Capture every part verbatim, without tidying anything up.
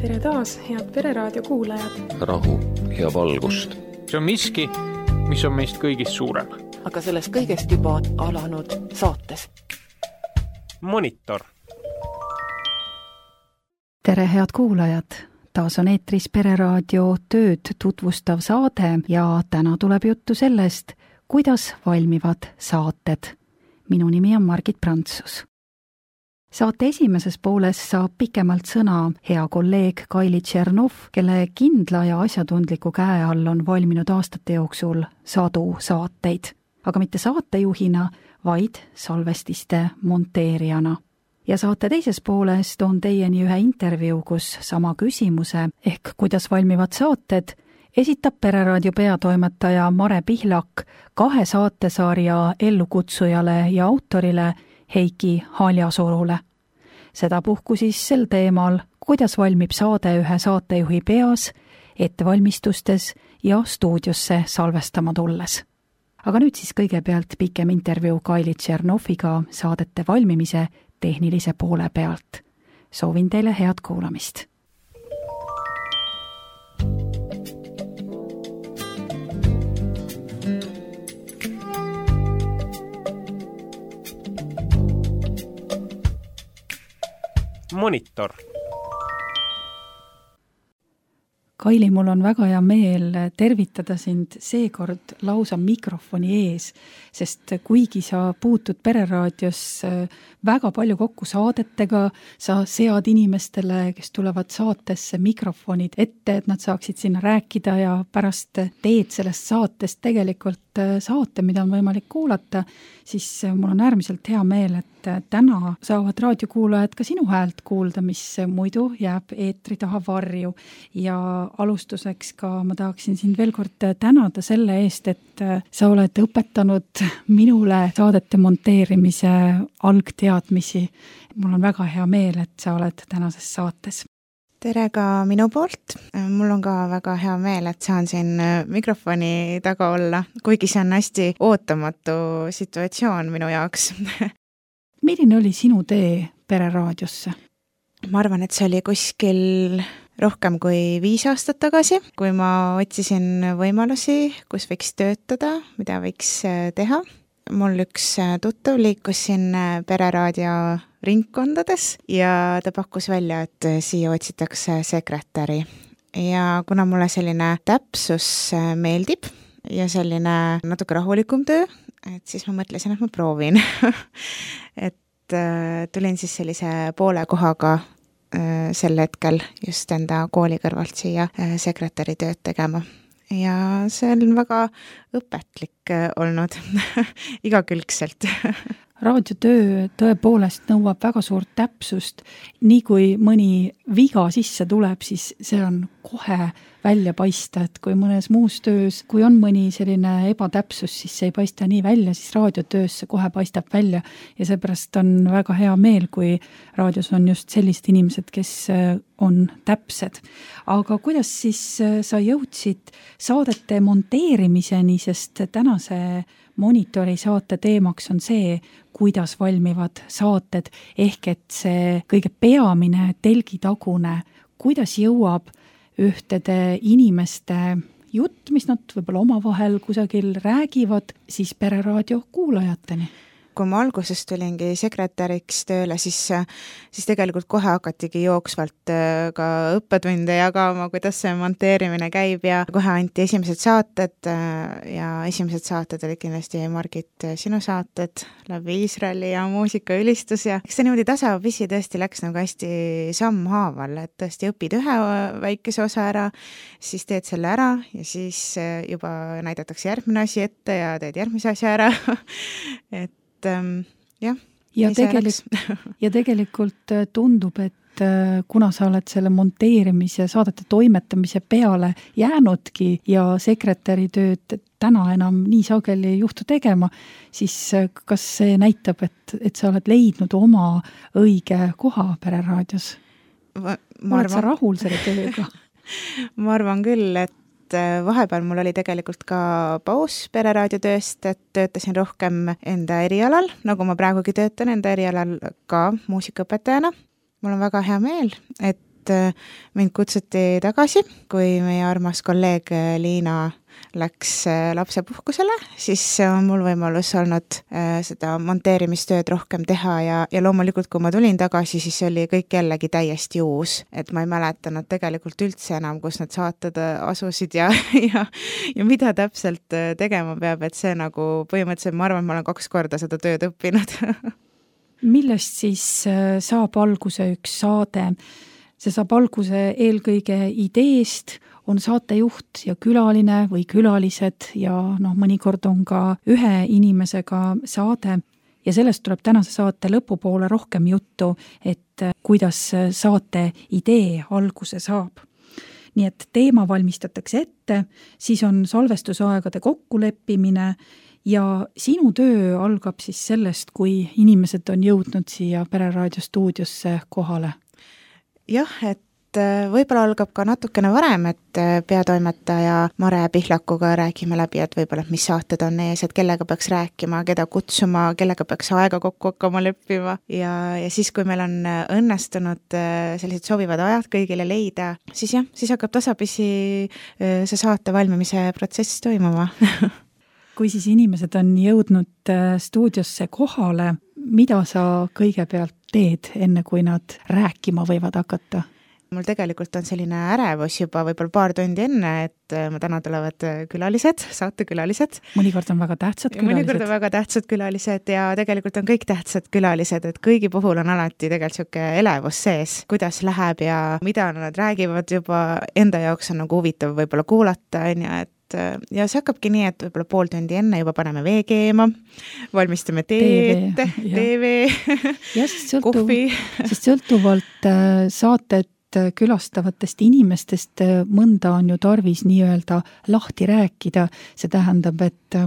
Tere taas, head Pereraadio kuulajad. Rahu ja valgust. See on miski, mis on meist kõigist suurem. Aga sellest kõigest juba alanud saates. Monitor. Tere head kuulajad. Taas on eetris Pereraadio tööd tutvustav saade ja täna tuleb juttu sellest, kuidas valmivad saated. Minu nimi on Margit Prantsus. Saate esimeses pooles saab pikemalt sõna hea kolleeg Kaili Tšernov, kelle kindla ja asjatundliku käe all on valminud aastate jooksul sadu saateid, aga mitte saatejuhina, vaid salvestiste monteerijana. Ja saate teises pooles toon teieni ühe intervjuu, kus sama küsimuse ehk kuidas valmivad saated esitab Pereraadio peatoimetaja Mare Pihlak kahe saatesarja ellukutsujale ja autorile Heiki Haljasurule. Sedapuhku siis sel teemal, kuidas valmib saade ühe saatejuhi peas, ettevalmistustes ja stuudiosse salvestama tulles. Aga nüüd siis kõigepealt pikem intervjuu Kaili Tšernoviga saadete valmimise tehnilise poole pealt. Soovin teile head kuulamist. Monitor. Kaili, mul on väga hea meel tervitada sind seekord lausa mikrofoni ees, sest kuigi sa puutud Pereraadios väga palju kokku saadetega, sa sead inimestele, kes tulevad saatesse mikrofonid ette, et nad saaksid sinna rääkida ja pärast teed sellest saatest tegelikult saate, mida on võimalik kuulata, siis mul on äärmiselt hea meel, et täna saavad raadiokuulajad ka sinu häält kuulda, mis muidu jääb eetri taha varju. Ja alustuseks ka ma tahaksin sind veel kord tänada selle eest, et sa oled õpetanud minule saadete monteerimise algteadmisi. Mul on väga hea meel, et sa oled tänases saates. Tere ka minu poolt. Mul on ka väga hea meel, et saan siin mikrofoni taga olla, kuigi see on hästi ootamatu situatsioon minu jaoks. Milline oli sinu tee Pereraadiosse? Ma arvan, et see oli kuskil rohkem kui viis aastat tagasi, kui ma otsisin võimalusi, kus võiks töötada, mida võiks teha. Mul üks tuttav liikus siin Pereraadio ringkondades ja ta pakkus välja, et siia otsitakse sekretäri. Ja kuna mulle selline täpsus meeldib ja selline natuke rahulikum töö, et siis ma mõtlesin, et ma proovin. et tulin siis sellise poole kohaga sel hetkel just enda kooli kõrvalt siia sekretäri tööd tegema. Ja see on väga õpetlik olnud igakülgselt. Raadiotöö tõepoolest nõuab väga suurt täpsust. Nii kui mõni viga sisse tuleb, siis see on kohe välja paista, et kui mõnes muus töös, kui on mõni selline ebatäpsus, siis see ei paista nii välja, siis raadiotöös see kohe paistab välja ja seepärast on väga hea meel, kui raadios on just sellised inimesed, kes on täpsed. Aga kuidas siis sa jõudsid saadete monteerimiseni, sest tänase Monitori saate teemaks on see, kuidas valmivad saated, ehk et see kõige peamine telgitagune, kuidas jõuab ühtede inimeste jutt, mis nad võib-olla omavahel kusagil räägivad, siis Pereraadio kuulajateni. Kui ma alguses tulingi sekretäriks tööle, siis, siis tegelikult kohe hakatigi jooksvalt ka õppetunde jagama, kuidas see monteerimine käib ja kohe anti esimesed saated ja esimesed saated oli kindlasti Margit sinu saated läbi Iisraeli ja muusikaülistus ja eks see niimoodi tasapisi tõesti läks nagu hästi sammhaaval, et tõesti õpid ühe väikese osa ära, siis teed selle ära ja siis juba näidatakse järgmine asi ette ja teed järgmise asja ära, et Ähm, jah, ja, tegelik, ja tegelikult tundub, et kuna sa oled selle monteerimise, saadete toimetamise peale jäänudki ja sekretäri tööd täna enam nii sageli juhtu tegema, siis kas see näitab, et, et sa oled leidnud oma õige koha Pereraadios? Ma, ma oled arvan... sa rahul selle tööga? Ma arvan küll, et vahepeal mul oli tegelikult ka paus Pereraadio tööst, et töötasin rohkem enda erialal, nagu ma praegugi töötan enda erialal ka muusikaõpetajana. Mul on väga hea meel, et et mind kutsuti tagasi, kui meie armas kolleeg Liina läks lapsepuhkusele, siis on mul võimalus olnud seda monteerimistööd rohkem teha ja, ja loomulikult, kui ma tulin tagasi, siis oli kõik jällegi täiesti uus, et ma ei mäletanud tegelikult üldse enam, kus need saated asusid ja, ja, ja mida täpselt tegema peab, et see nagu põhimõtteliselt, ma arvan, et ma olen kaks korda seda tööd õppinud. Millest siis saab alguse üks saade? See saab alguse eelkõige ideest, on saatejuht ja külaline või külalised ja noh, mõnikord on ka ühe inimesega saade ja sellest tuleb tänase saate lõpupoole rohkem juttu, et kuidas saate idee alguse saab. Nii et teema valmistatakse ette, siis on salvestusaegade kokkuleppimine ja sinu töö algab siis sellest, kui inimesed on jõudnud siia Pereraadio stuudiosse kohale. Jah, et võib-olla algab ka natukene varem, et peatoimetaja Mare Pihlakuga räägime läbi, et võib-olla mis saated on ees, et kellega peaks rääkima, keda kutsuma, kellega peaks aega kokku hakkama leppima ja, ja siis, kui meil on õnnestunud sellised sobivad ajad kõigile leida, siis jah, siis hakkab tasapisi see saate valmimise protsess toimuma. Kui siis inimesed on jõudnud stuudiosse kohale, mida sa kõigepealt teed, enne kui nad rääkima võivad hakata? Mul tegelikult on selline ärevus juba võib-olla paar tundi enne, et ma täna tulevad külalised, saatekülalised. Mõnikord on väga tähtsad külalised. Mõnikord on väga tähtsad külalised ja tegelikult on kõik tähtsad külalised, et kõigi puhul on alati tegelikult siuke elevus sees, kuidas läheb ja mida nad räägivad juba enda jaoks on nagu huvitav võib-olla kuulata, on ju, et ja see hakkabki nii, et võib-olla pool tundi enne juba paneme vee keema, valmistame teed, TV, kohvi. Sest sõltuvalt saated külastavatest inimestest mõnda on ju tarvis nii-öelda lahti rääkida. See tähendab, et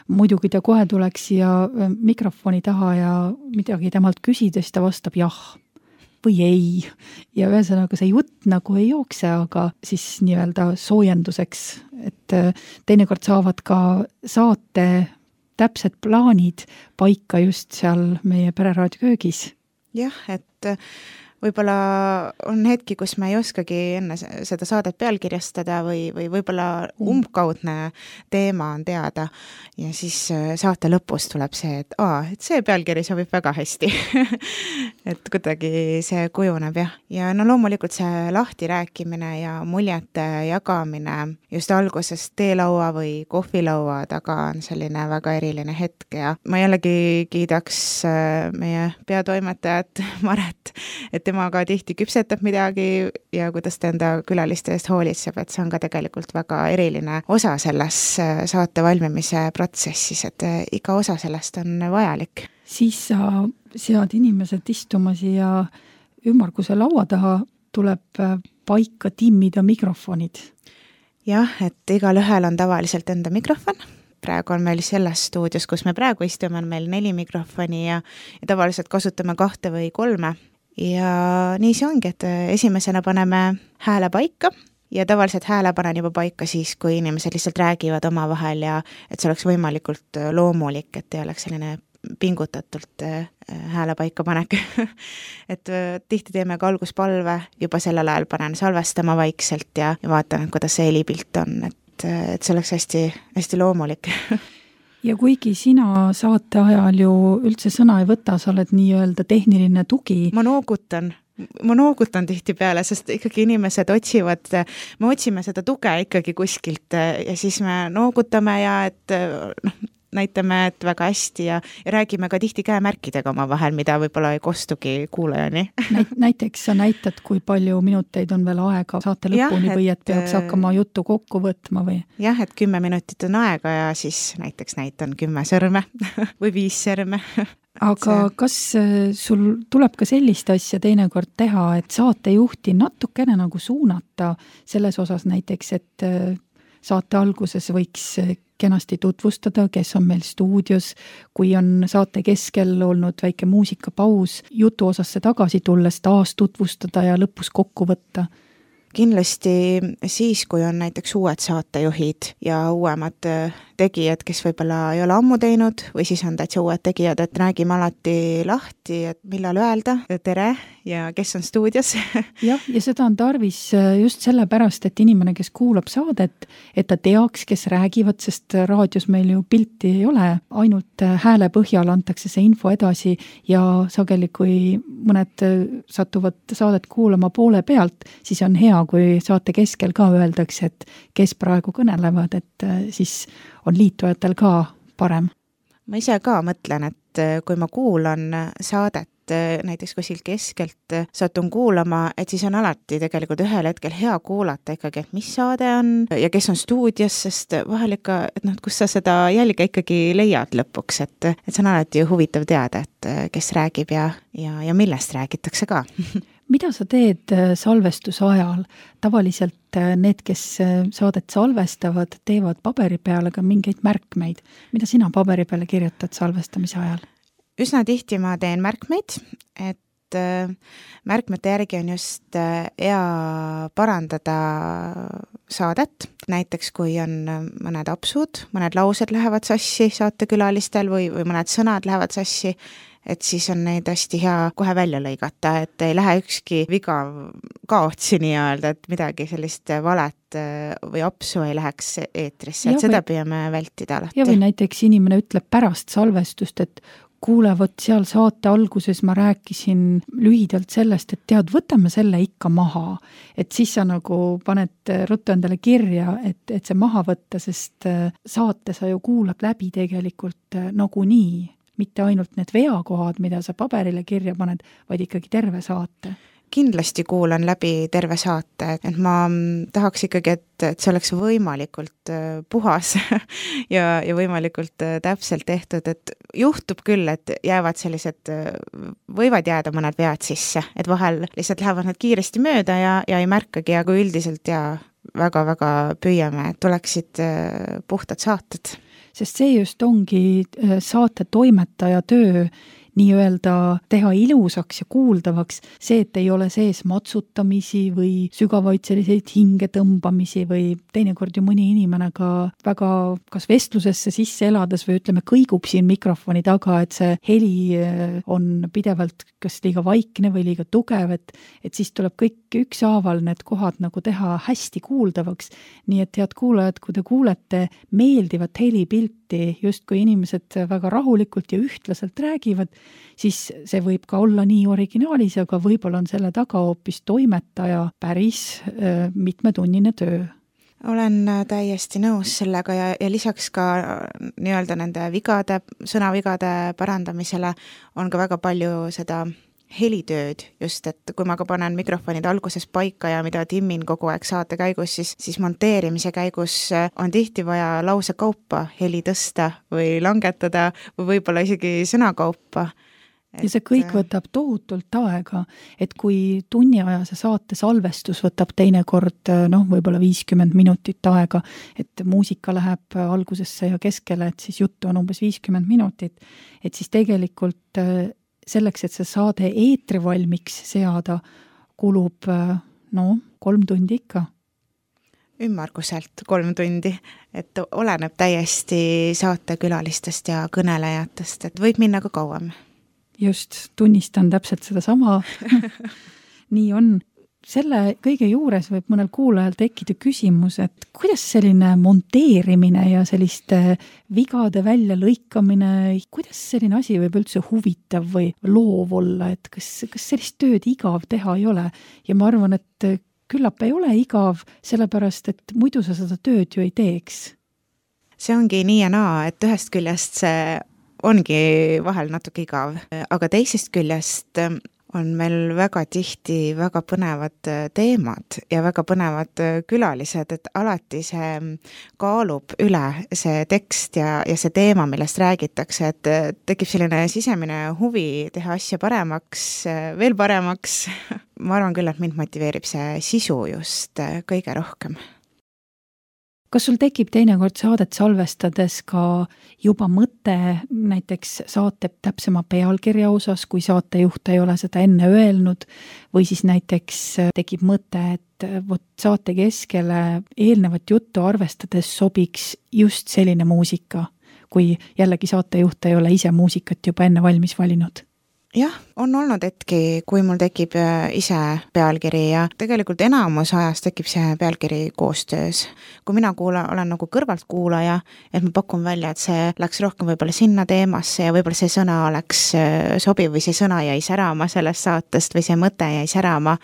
muidugi ta kohe tuleks ja mikrofoni taha ja midagi temalt küsides ta vastab jah või ei. Ja ühesõnaga see jutt nagu ei jookse, aga siis nii-öelda soojenduseks, et teinekord saavad ka saate täpsed plaanid paika just seal meie Pereraadio köögis. Jah, et võib-olla on hetki, kus me ei oskagi enne seda saadet pealkirjastada või, või võib-olla umbkaudne teema on teada ja siis saate lõpus tuleb see, et, aa, et see pealkiri sobib väga hästi. Et kuidagi see kujuneb jah. Ja no loomulikult see lahti rääkimine ja muljete jagamine just alguses teelaua või kohvilaua taga on selline väga eriline hetk ja ma jällegi kiidaks meie peatoimetajat Maret, et tema ka tihti küpsetab midagi ja kuidas ta enda külaliste eest hoolitseb, et see on ka tegelikult väga eriline osa selles saate valmimise protsessis, et iga osa sellest on vajalik. Siis sa sead inimesed istuma siia ümmarguse laua taha, tuleb paika timmida mikrofonid. Jah, et igal ühel on tavaliselt enda mikrofon. Praegu on meil selles stuudios, kus me praegu istume, on meil neli mikrofoni ja, ja tavaliselt kasutame kahte või kolme. Ja nii see ongi, et esimesena paneme hääle paika ja tavaliselt hääle panen juba paika siis, kui inimesed lihtsalt räägivad omavahel ja et see oleks võimalikult loomulik, et ei oleks selline pingutatult hääle paika panek. Et tihti teeme ka alguspalve, juba sellel ajal panen salvestama vaikselt ja, ja vaatan, kuidas see helipilt on, et, et see oleks hästi, hästi loomulik. Ja kuigi sina saate ajal ju üldse sõna ei võta, sa oled nii-öelda tehniline tugi. Ma noogutan, ma noogutan tihti peale, sest ikkagi inimesed otsivad, me otsime seda tuge ikkagi kuskilt ja siis me noogutame ja et noh, näitame, et väga hästi ja, ja räägime ka tihti käemärkidega oma vahel, mida võib-olla ei kostugi kuulajani. Näiteks sa näitad, kui palju minuteid on veel aega saate lõpuni ja, või et peaks hakkama juttu kokku võtma või? Jah, et kümme minutit on aega ja siis näiteks näitan kümme sõrme või viis sõrme. Aga see... kas sul tuleb ka sellist asja teinekord teha, et saatejuhti natukene nagu suunata selles osas näiteks, et saate alguses võiks kenasti tutvustada, kes on meil stuudios, kui on saate keskel olnud väike muusikapaus, jutu osasse tagasi tulles taas tutvustada ja lõpus kokku võtta. Kindlasti siis, kui on näiteks uued saatejuhid ja uuemad tegijad, kes võib-olla ei ole ammu teinud või siis on täitsa uued tegijad, et räägime alati lahti, et millal öelda tere ja kes on stuudios. jah, ja seda on tarvis just sellepärast, et inimene, kes kuulab saadet, et ta teaks, kes räägivad, sest raadios meil ju pilti ei ole, ainult hääle põhjal antakse see info edasi ja sageli, kui mõned satuvad saadet kuulama poole pealt, siis on hea, kui saate keskel ka öeldakse, et kes praegu kõnelevad, et siis on liitujatel ka parem. Ma ise ka mõtlen, et kui ma kuulan saadet, näiteks kuskil keskelt satun kuulama, et siis on alati tegelikult ühel hetkel hea kuulata ikkagi, et mis saade on ja kes on stuudios, sest vahel ikka, et noh, kus sa seda jälge ikkagi leiad lõpuks, et, et see on alati huvitav teada, et kes räägib ja, ja, ja millest räägitakse ka. Mida sa teed salvestuse ajal? Tavaliselt need, kes saadet salvestavad, teevad paberi peale ka mingeid märkmeid. Mida sina paberi peale kirjutad salvestamise ajal? Üsna tihti ma teen märkmeid, et märkmete järgi on just hea parandada saadet. Näiteks kui on mõned apsud, mõned laused lähevad sassi saatekülalistel või, või mõned sõnad lähevad sassi, et siis on neid hästi hea kohe välja lõigata, et ei lähe ükski viga kaotsi nii-öelda, et midagi sellist valet või apsu ei läheks eetrisse, et seda püüame vältida alati. Ja või näiteks inimene ütleb pärast salvestust, et kuule, võt seal saate alguses ma rääkisin lühidalt sellest, et tead, võtame selle ikka maha. Et siis sa nagu paned ruttu endale kirja, et, et see maha võtta, sest saate sa ju kuulab läbi tegelikult nagu nii. Mitte ainult need veakohad, mida sa paberile kirja paned, vaid ikkagi terve saate. Kindlasti kuulan läbi terve saate, et ma tahaks ikkagi, et, et see oleks võimalikult puhas ja, ja võimalikult täpselt tehtud, et juhtub küll, et jäävad sellised, võivad jääda mõned vead sisse, et vahel lihtsalt lähevad nad kiiresti mööda ja, ja ei märkagi, aga üldiselt ja väga-väga püüame, et tuleksid puhtad saated. Sest see just ongi saate toimetaja töö, nii-öelda teha ilusaks ja kuuldavaks, see, et ei ole sees matsutamisi või sügavaid selliseid hingetõmbamisi või teinekord ju mõni inimene ka väga kas vestlusesse sisse elades või ütleme, kõigub siin mikrofoni taga, et see heli on pidevalt kas liiga vaikne või liiga tugev, et, et siis tuleb kõik ükshaaval need kohad nagu teha hästi kuuldavaks. Nii et head kuulajad, kui te kuulete meeldivat helipilti, just kui inimesed väga rahulikult ja ühtlaselt räägivad, siis see võib ka olla nii originaalis, aga võib-olla on selle taga hoopis toimetaja päris äh, mitmetunnine töö. Olen täiesti nõus sellega ja, ja lisaks ka nii-öelda nende vigade, sõnavigade parandamisele on ka väga palju seda helitööd, just et kui ma ka panen mikrofonid alguses paika ja mida timmin kogu aeg saate käigus, siis, siis monteerimise käigus on tihti vaja lause kaupa heli tõsta või langetada või võib-olla isegi sõnakaupa. Ja see kõik võtab tohutult aega, et kui tunniajase saate salvestus võtab teinekord noh, võib-olla viiskümmend minutit aega, et muusika läheb algusesse ja keskele, et siis juttu on umbes viiskümmend minutit, et siis tegelikult selleks, et see saade eetri valmiks seada, kulub no, kolm tundi ikka. Ümmarguselt kolm tundi, et oleneb täiesti saatekülalistest ja kõnelejatest, et võib minna ka kauem. Just, tunnistan täpselt seda sama. Nii on. Selle kõige juures võib mõnel kuulajal tekkida küsimus, et kuidas selline monteerimine ja selliste vigade välja lõikamine, kuidas selline asi võib üldse huvitav või loov olla, et kas, kas sellist tööd igav teha ei ole? Ja ma arvan, et küllap ei ole igav, sellepärast, et muidu sa seda tööd ju ei teeks. See ongi nii ja naa, et ühest küljest see ongi vahel natuke igav, aga teisest küljest on meil väga tihti väga põnevad teemad ja väga põnevad külalised, et alati see kaalub üle see tekst ja, ja see teema, millest räägitakse, et tekib selline sisemine huvi teha asja paremaks, veel paremaks. Ma arvan küll, et mind motiveerib see sisu just kõige rohkem. Kas sul tekib teinekord saadet salvestades ka juba mõte näiteks saate täpsema pealkirja osas, kui saatejuht ei ole seda enne öelnud, või siis näiteks tekib mõte, et võt saate keskele eelnevat juttu arvestades sobiks just selline muusika, kui jällegi saatejuht ei ole ise muusikat juba enne valmis valinud? jah, on olnud hetki, kui mul tekib ise pealkiri ja tegelikult enamus ajast tekib see pealkiri koostöös. Kui mina kuula, olen nagu kõrvaltkuulaja, et ma pakun välja, et see läks rohkem võib-olla sinna teemasse ja võib-olla see sõna oleks sobiv või see sõna jäi särama sellest saatest või see mõte jäi särama.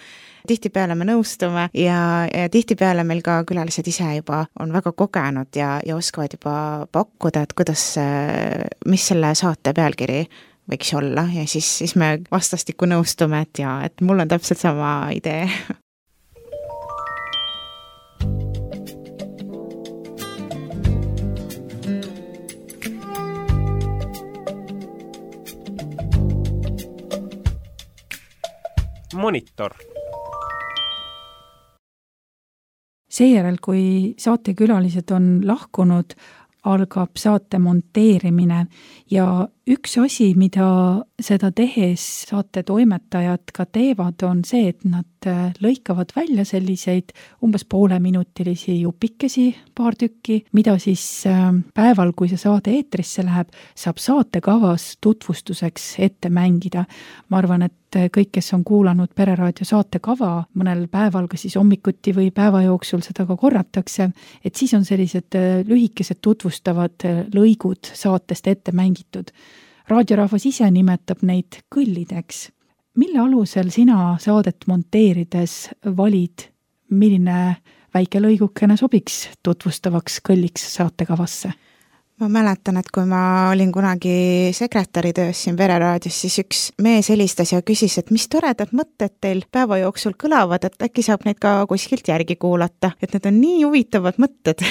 Tihtipeale me nõustume ja, ja tihtipeale meil ka külalised ise juba on väga kogenud ja, ja oskavad juba pakkuda, et kuidas, mis selle saate pealkiri võiks olla ja siis, siis me vastastikku nõustume, et jaa, et mul on täpselt sama idee. Monitor. Seejärel, kui saatekülalised on lahkunud, algab saate monteerimine ja üks asi, mida seda tehes saate toimetajad ka teevad, on see, et nad lõikavad välja selliseid umbes pooleminutilisi jupikesi, paar tükki, mida siis päeval, kui see saade eetrisse läheb, saab saatekavas tutvustuseks ette mängida. Ma arvan, et kõik, kes on kuulanud Pereraadio saatekava, mõnel päeval, kas siis hommikuti või päeva jooksul seda ka korratakse, et siis on sellised lühikesed tutvustavad lõigud saatest ette mängitud. Raadiorahvas ise nimetab neid kõllideks. Mille alusel sina saadet monteerides valid, milline väike lõigukene sobiks tutvustavaks kõlliks saatekavasse? Ma mäletan, et kui ma olin kunagi sekretäri töös siin Pereraadios, siis üks mees helistas ja küsis, et mis toredad mõtted teil päeva jooksul kõlavad, et äkki saab neid ka kuskilt järgi kuulata, et need on nii huvitavad mõtted.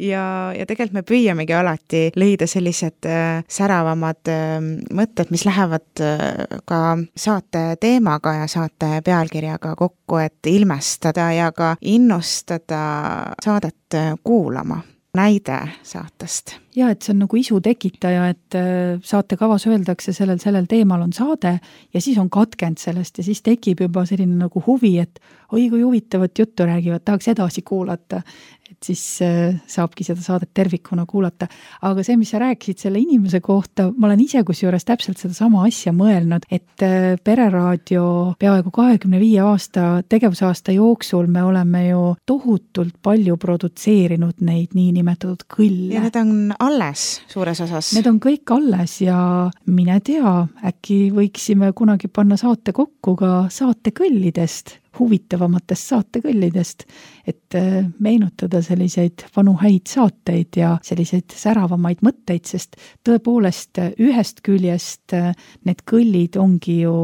ja, ja tegelikult me püüamegi alati leida sellised äh, säravamad äh, mõtted, mis lähevad äh, ka saate teemaga ja saate pealkirjaga kokku, et ilmestada ja ka innustada saadet äh, kuulama. Näide saatest. Ja, et see on nagu isu tekitaja, et saatekavas öeldakse sellel, sellel teemal on saade ja siis on katkend sellest ja siis tekib juba selline nagu huvi, et oi, kui huvitavat juttu räägivad, tahaks edasi kuulata. Et siis saabki seda saadet tervikuna kuulata. Aga see, mis sa rääkisid selle inimese kohta, ma olen ise kusjuures täpselt seda sama asja mõelnud, et Pereraadio peaaegu kahekümne viie aasta tegevusaasta jooksul me oleme ju tohutult palju produtseerinud neid niinimetatud kõlle. Ja need on alles suures osas. Need on kõik alles ja mine tea, äkki võiksime kunagi panna saate kokku ka saatekõllidest, huvitavamatest saatekõllidest, et meenutada selliseid vanu häid saateid ja selliseid säravamaid mõtteid, sest tõepoolest ühest küljest need kõllid ongi ju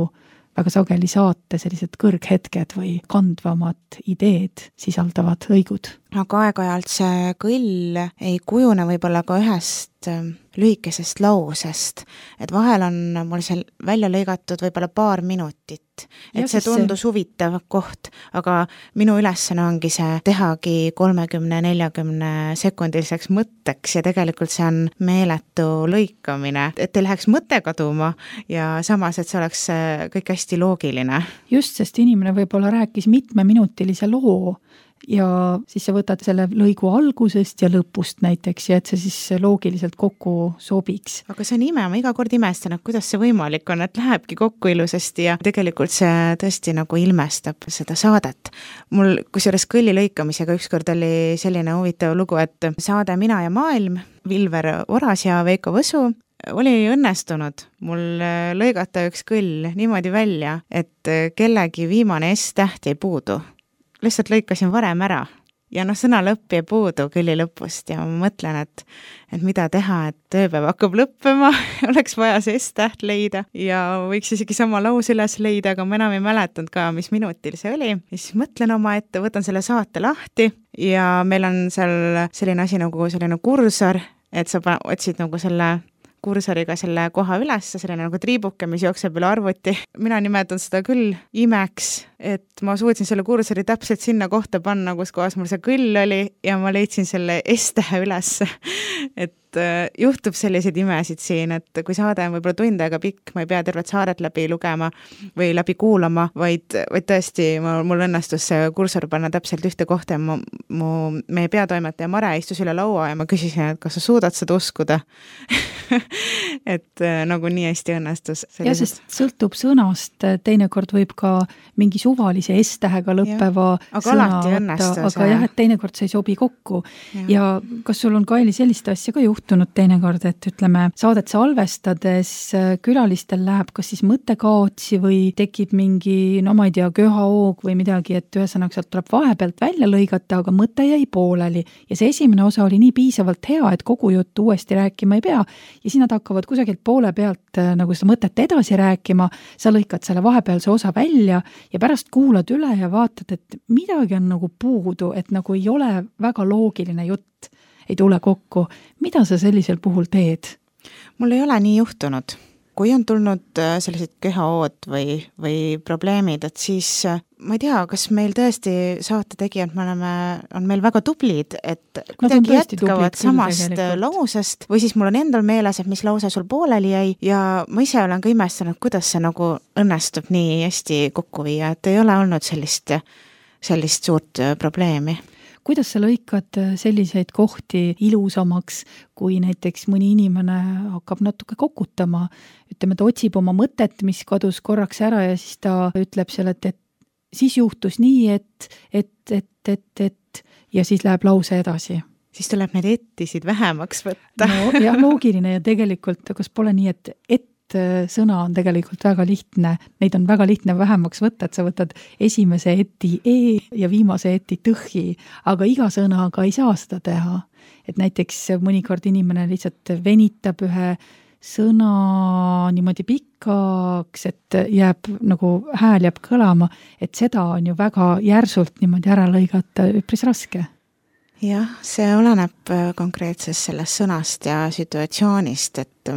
väga sageli saate sellised kõrghetked või kandvamad ideed sisaldavad lõigud. Aga aeg-ajalt see kõll ei kujune võib-olla ka ühest lühikesest lausest, et vahel on mul seal välja lõigatud võib-olla paar minutit, et ja, see tundus see... huvitav koht, aga minu ülesanne ongi see tehagi kolmekümne neljakümne sekundiliseks mõtteks ja tegelikult see on meeletu lõikamine, et ei läheks mõte kaduma ja samas, et see oleks kõik hästi loogiline. Just, sest inimene võib-olla rääkis mitmeminutilise loo ja siis sa võtad selle lõigu algusest ja lõpust näiteks ja et see siis loogiliselt kokku sobiks. Aga see on ime, ma iga kord imestan, et kuidas see võimalik on, et lähebki kokku ilusasti ja tegelikult see tõesti nagu ilmestab seda saadet. Mul kusjuures kõlli lõikamisega ükskord oli selline huvitav lugu, et saade Mina ja maailm, Vilver Oras ja Veiko Võsu oli õnnestunud mul lõigata üks kõll niimoodi välja, et kellegi viimane S-täht ei puudu. Lihtsalt lõikasin varem ära ja noh, sõna lõpp jäi puudu kõlli lõpust ja ma mõtlen, et, et mida teha, et tööpäev hakkab lõppema, oleks vaja see S-täht leida ja võiks isegi sama laus üles leida, aga ma enam ei mäletanud ka, mis minutil see oli. Ja siis mõtlen oma ette, võtan selle saate lahti ja meil on seal selline asi nagu selline kursor, et sa otsid nagu selle kursoriga selle koha üles, selline nagu triibuke, mis jookseb üle arvuti. Mina nimetan seda küll imeks, et ma suutsin selle kursori täpselt sinna kohta panna, kus kohas mul see kõll oli ja ma leidsin selle S-tähe üles. Et juhtub selliseid imesid siin, et kui saade on võib-olla tund aega pikk, ma ei pea tervet saadet läbi lugema või läbi kuulama, vaid, vaid tõesti mul, mul õnnestus see kursor panna täpselt ühte kohta ja mu, mu, meie peatoimetaja Mare istus üle laua ja ma küsisin, et kas sa suudad seda uskuda? et nagu nii hästi õnnestus. Ja sest sõltub sõnast, teinekord võib ka mingi suvalise S-tähega lõppeva ja, aga sõna alati õnnestus. Aga jah, et teinekord see ei sobi kokku. Ja, ja kas sul on, Kaili, sellist asja ka juhtunud teinekord, et ütleme, saadet salvestades külalistel läheb kas siis mõttekaotsi või tekib mingi, no ma ei tea, köhaoog või midagi, et ühesõnaga sealt tuleb vahepealt välja lõigata, aga mõte jäi pooleli. Ja see esimene osa oli nii piisavalt hea, et kogu juttu uuesti rääkima ei pea. Ja siis nad hakkavad kusagilt poole pealt nagu seda mõtet edasi rääkima, sa lõikad selle vahepealse osa välja ja pärast kuulad üle ja vaatad, et midagi on nagu puudu, et nagu ei ole väga loogiline jutt, ei tule kokku. Mida sa sellisel puhul teed? Mul ei ole nii juhtunud. Kui on tulnud sellised köhaood või, või probleemid, et siis ma ei tea, kas meil tõesti saate tegijad, me oleme, on meil väga tublid, et kuidagi jätkavad samast lausest või siis mul on endal meeles, et mis lause sul pooleli jäi ja ma ise olen ka imestanud, kuidas see nagu õnnestub nii hästi kokku viia, et ei ole olnud sellist, sellist suurt probleemi. Kuidas sa lõikad selliseid kohti ilusamaks, kui näiteks mõni inimene hakkab natuke kokutama, ütleme, ta otsib oma mõtet, mis kadus korraks ära ja siis ta ütleb selle, et, et siis juhtus nii, et, et, et, et, et ja siis läheb lause edasi. Siis tuleb need ettisid vähemaks võtta. No, jah, loogiline ja tegelikult, kas pole nii, et et sõna on tegelikult väga lihtne, neid on väga lihtne vähemaks võtta, et sa võtad esimese eti e ja viimase eti tõhi, aga iga sõnaga ei saa seda teha. Et näiteks mõnikord inimene lihtsalt venitab ühe sõna niimoodi pikkaks, et jääb nagu hääl jääb kõlama, et seda on ju väga järsult niimoodi ära lõigata üpris raske. Jah, see oleneb konkreetsest sellest sõnast ja situatsioonist, et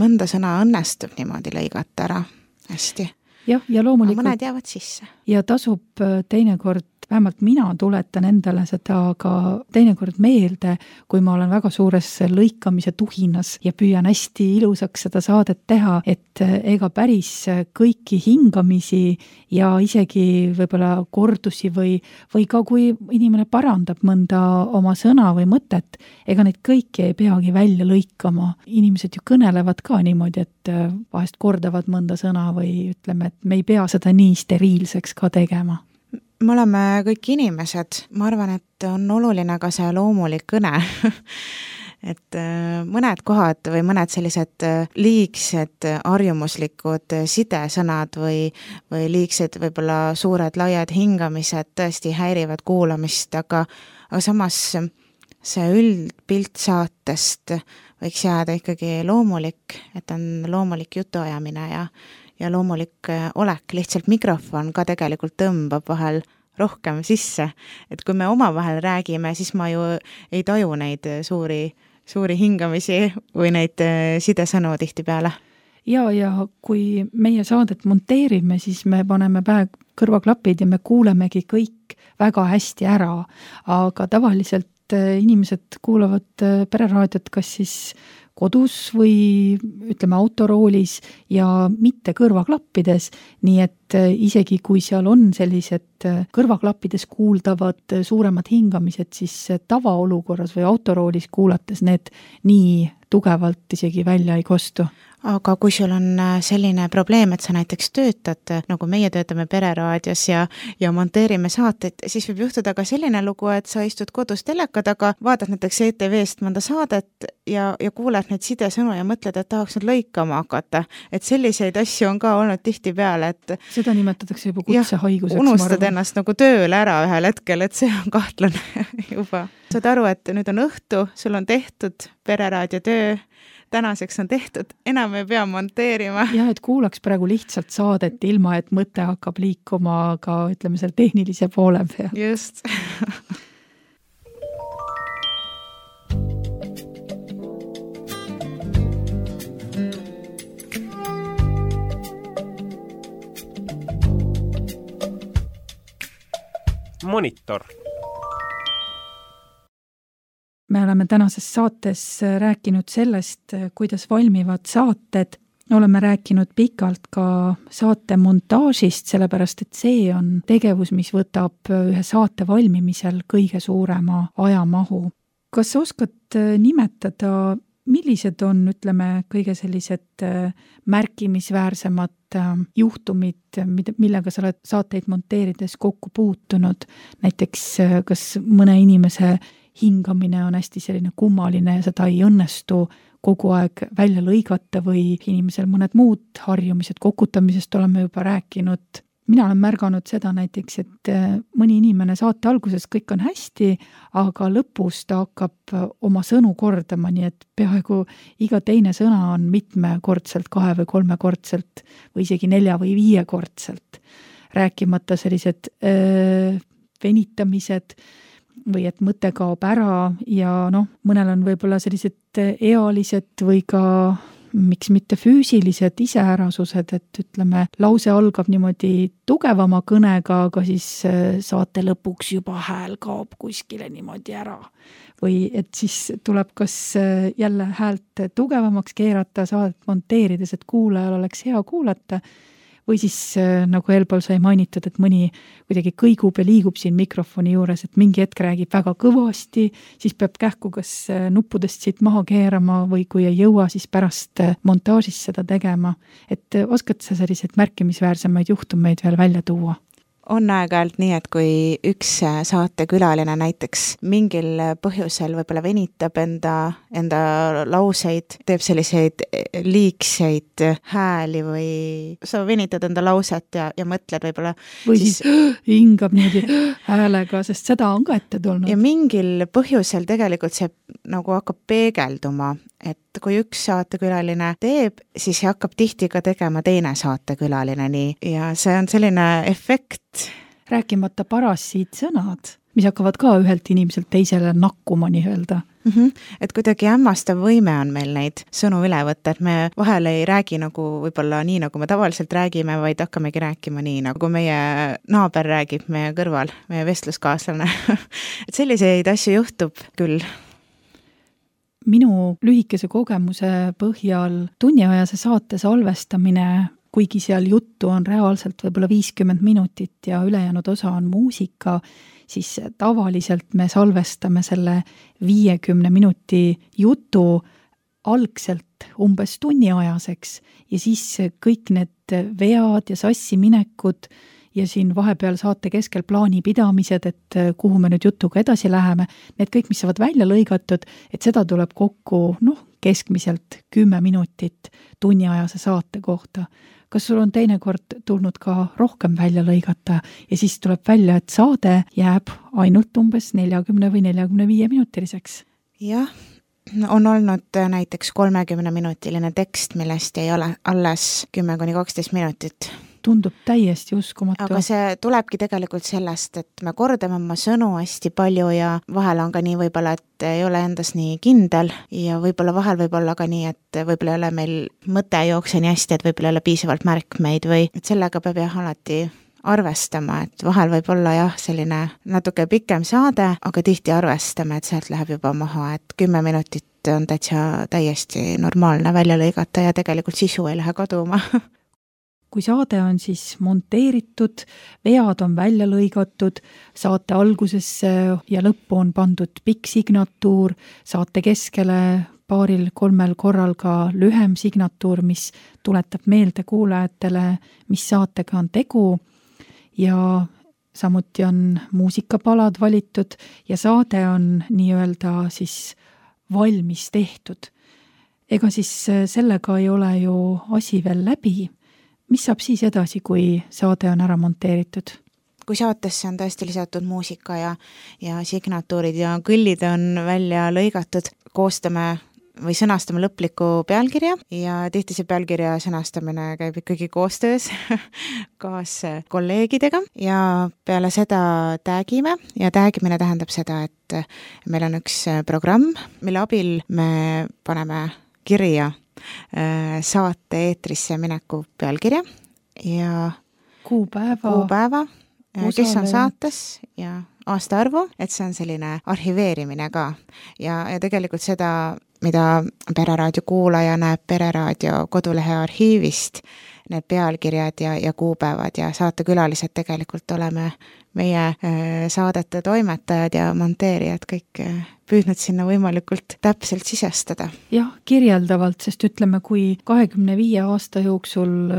mõnda sõna õnnestub niimoodi lõigata ära hästi. Jah, ja loomulikult. Mõned jäävad sisse. Ja tasub teinekord, vähemalt mina tuletan endale seda ka teinekord meelde, kui ma olen väga suures lõikamise tuhinas ja püüan hästi ilusaks seda saadet teha, et ega päris kõiki hingamisi ja isegi võib-olla kordusi või, või ka kui inimene parandab mõnda oma sõna või mõtet, ega neid kõiki ei peagi välja lõikama. Inimesed ju kõnelevad ka niimoodi, et vahest kordavad mõnda sõna või ütleme, et me ei pea seda nii steriilseks ka tegema. Me oleme kõik inimesed, ma arvan, et on oluline ka see loomulik kõne, et mõned kohad või mõned sellised liigsed harjumuslikud sidesõnad või, või liigsed võib-olla suured laiad hingamised tõesti häirivad kuulamist, aga, aga samas see üldpilt saatest võiks jääda ikkagi loomulik, et on loomulik jutuajamine ja ja loomulik olek, lihtsalt mikrofon ka tegelikult tõmbab vahel rohkem sisse. Et kui me omavahel räägime, siis ma ju ei taju neid suuri, suuri hingamisi või neid sidesõnu tihti peale. Ja, ja kui meie saadet monteerime, siis me paneme pähe kõrvaklapid ja me kuulemegi kõik väga hästi ära, aga tavaliselt inimesed kuulavad pereraadiot kas siis kodus või ütleme autoroolis ja mitte kõrvaklappides, nii et isegi kui seal on sellised kõrvaklappides kuuldavad suuremad hingamised, siis tavaolukorras või autoroolis kuulates need nii tugevalt isegi välja ei kostu. Aga kui sul on selline probleem, et sa näiteks töötad, nagu meie töötame pereraadios ja, ja monteerime saateid, siis võib juhtuda ka selline lugu, et sa istud kodus teleka taga, vaatad näiteks E T V-st mõnda saadet ja, ja kuuled neid sidesõnu ja mõtled, et tahaks nüüd lõikama hakata. Et selliseid asju on ka olnud tihti peale, et seda nimetatakse juba kutsehaiguseks. Unustad ennast nagu tööle ära ühel hetkel, et see on kahtlane juba. Saad aru, et nüüd on õhtu, sul on tehtud pereraadio töö, tänaseks on tehtud, enam ei pea monteerima. Jah, et kuulaks praegu lihtsalt saadet ilma, et mõte hakkab liikuma ka, ütleme, seal tehnilise poole peal. Just. Monitor. Me oleme tänases saates rääkinud sellest, kuidas valmivad saated. Oleme rääkinud pikalt ka saate montaažist, sellepärast et see on tegevus, mis võtab ühe saate valmimisel kõige suurema ajamahu. Kas oskad nimetada, millised on, ütleme, kõige sellised märkimisväärsemad juhtumid, millega sa oled saateid monteerides kokku puutunud? Näiteks, kas mõne inimese hingamine on hästi selline kummaline ja seda ei õnnestu kogu aeg välja lõigata või inimesel mõned muud harjumised, kokutamisest oleme juba rääkinud. Mina olen märganud seda näiteks, et mõni inimene saate alguses kõik on hästi, aga lõpus ta hakkab oma sõnu kordama, nii et peaaegu iga teine sõna on mitmekordselt, kahe või kolmekordselt või isegi nelja või viiekordselt. Rääkimata sellised öö, venitamised või et mõte kaob ära ja noh, mõnel on võib-olla sellised ealised või ka miks mitte füüsilised iseärasused, et ütleme, lause algab niimoodi tugevama kõnega, aga siis saate lõpuks juba hääl kaob kuskile niimoodi ära. Või et siis tuleb kas jälle häält tugevamaks keerata saadet monteerides, et kuulajal oleks hea kuulata, või siis nagu eelpool sai mainitud, et mõni kuidagi kõigub ja liigub siin mikrofoni juures, et mingi hetk räägib väga kõvasti, siis peab kähku kas nuppudest siit maha keerama või kui ei jõua, siis pärast montaažis seda tegema. Et oskad sa selliseid märkimisväärsemaid juhtumeid veel välja tuua? On aeg-ajalt nii, et kui üks saatekülaline näiteks mingil põhjusel võib-olla venitab enda, enda lauseid, teeb selliseid liigseid hääli või sa venitad enda lauset ja, ja mõtled võib-olla või siis, siis hingab niimoodi häälega, sest seda on ka ette tulnud. Ja mingil põhjusel tegelikult see nagu hakkab peegelduma, et kui üks saatekülaline teeb, siis hakkab tihti ka tegema teine saatekülaline nii ja see on selline efekt. Rääkimata parassiid sõnad, mis hakkavad ka ühelt inimeselt teisele nakkuma nii öelda. Mm-hmm. Et kuidagi hämmastav võime on meil neid sõnu üle võtta, et me vahel ei räägi nagu võib-olla nii, nagu me tavaliselt räägime, vaid hakkamegi rääkima nii, nagu meie naaber räägib meie kõrval, meie vestluskaaslane. Et selliseid asju juhtub küll. Minu lühikese kogemuse põhjal tunniajase saate salvestamine, kuigi seal juttu on reaalselt võib-olla viiskümmend minutit ja ülejäänud osa on muusika, siis tavaliselt me salvestame selle viiekümne minuti jutu algselt umbes tunniajaseks ja siis kõik need vead ja sassiminekud ja siin vahepeal saate keskel plaani pidamised, et kuhu me nüüd jutuga edasi läheme, need kõik, mis saavad välja lõigatud, et seda tuleb kokku noh, keskmiselt kümme minutit tunniajase saate kohta. Kas sul on teinekord tulnud ka rohkem välja lõigata ja siis tuleb välja, et saade jääb ainult umbes neljakümne või neljakümne viie minutiliseks? Jah, on olnud näiteks kolmekümne minutiline tekst, millest ei ole alles kümme kuni kaksteist minutit. Tundub täiesti uskumatu. Aga see tulebki tegelikult sellest, et me kordame oma sõnu hästi palju ja vahel on ka nii võib-olla, et ei ole endas nii kindel ja võib-olla vahel võib-olla ka nii, et võib-olla ei ole meil mõte jookse nii hästi, et võib-olla ei ole piisavalt märkmeid või et sellega peab jah alati arvestama, et vahel võib olla jah selline natuke pikem saade, aga tihti arvestame, et sealt läheb juba maha, et kümme minutit on täitsa täiesti normaalne välja lõigata ja tegelikult sisu ei lähe kaduma. Kui saade on siis monteeritud, vead on välja lõigatud, saate algusesse ja lõppu on pandud pikk signatuur, saate keskele paaril kolmel korral ka lühem signatuur, mis tuletab meelde kuulajatele, mis saatega on tegu ja samuti on muusikapalad valitud ja saade on nii-öelda siis valmis tehtud. Ega siis sellega ei ole ju asi veel läbi. Mis saab siis edasi, kui saade on ära monteeritud? Kui saatesse on tõesti lisatud muusika ja, ja signatuurid ja kõllid on välja lõigatud, koostame või sõnastame lõpliku pealkirja ja tihti see pealkirja sõnastamine käib ikkagi koostöös kaas kolleegidega ja peale seda tagime ja tagimine tähendab seda, et meil on üks programm, mille abil me paneme kirja saate eetrisse mineku pealkirja ja kuupäeva, kuupäeva kes on saates ja aastaarvu, et see on selline arhiveerimine ka. Ja, ja tegelikult seda, mida Pereraadio kuulaja näeb Pereraadio kodulehe arhiivist, need pealkirjad ja, ja kuupäevad ja saatekülalised tegelikult oleme meie saadete toimetajad ja monteerijad kõik püüdnud sinna võimalikult täpselt sisestada. Jah, kirjeldavalt, sest ütleme, kui kahekümne viie aasta jooksul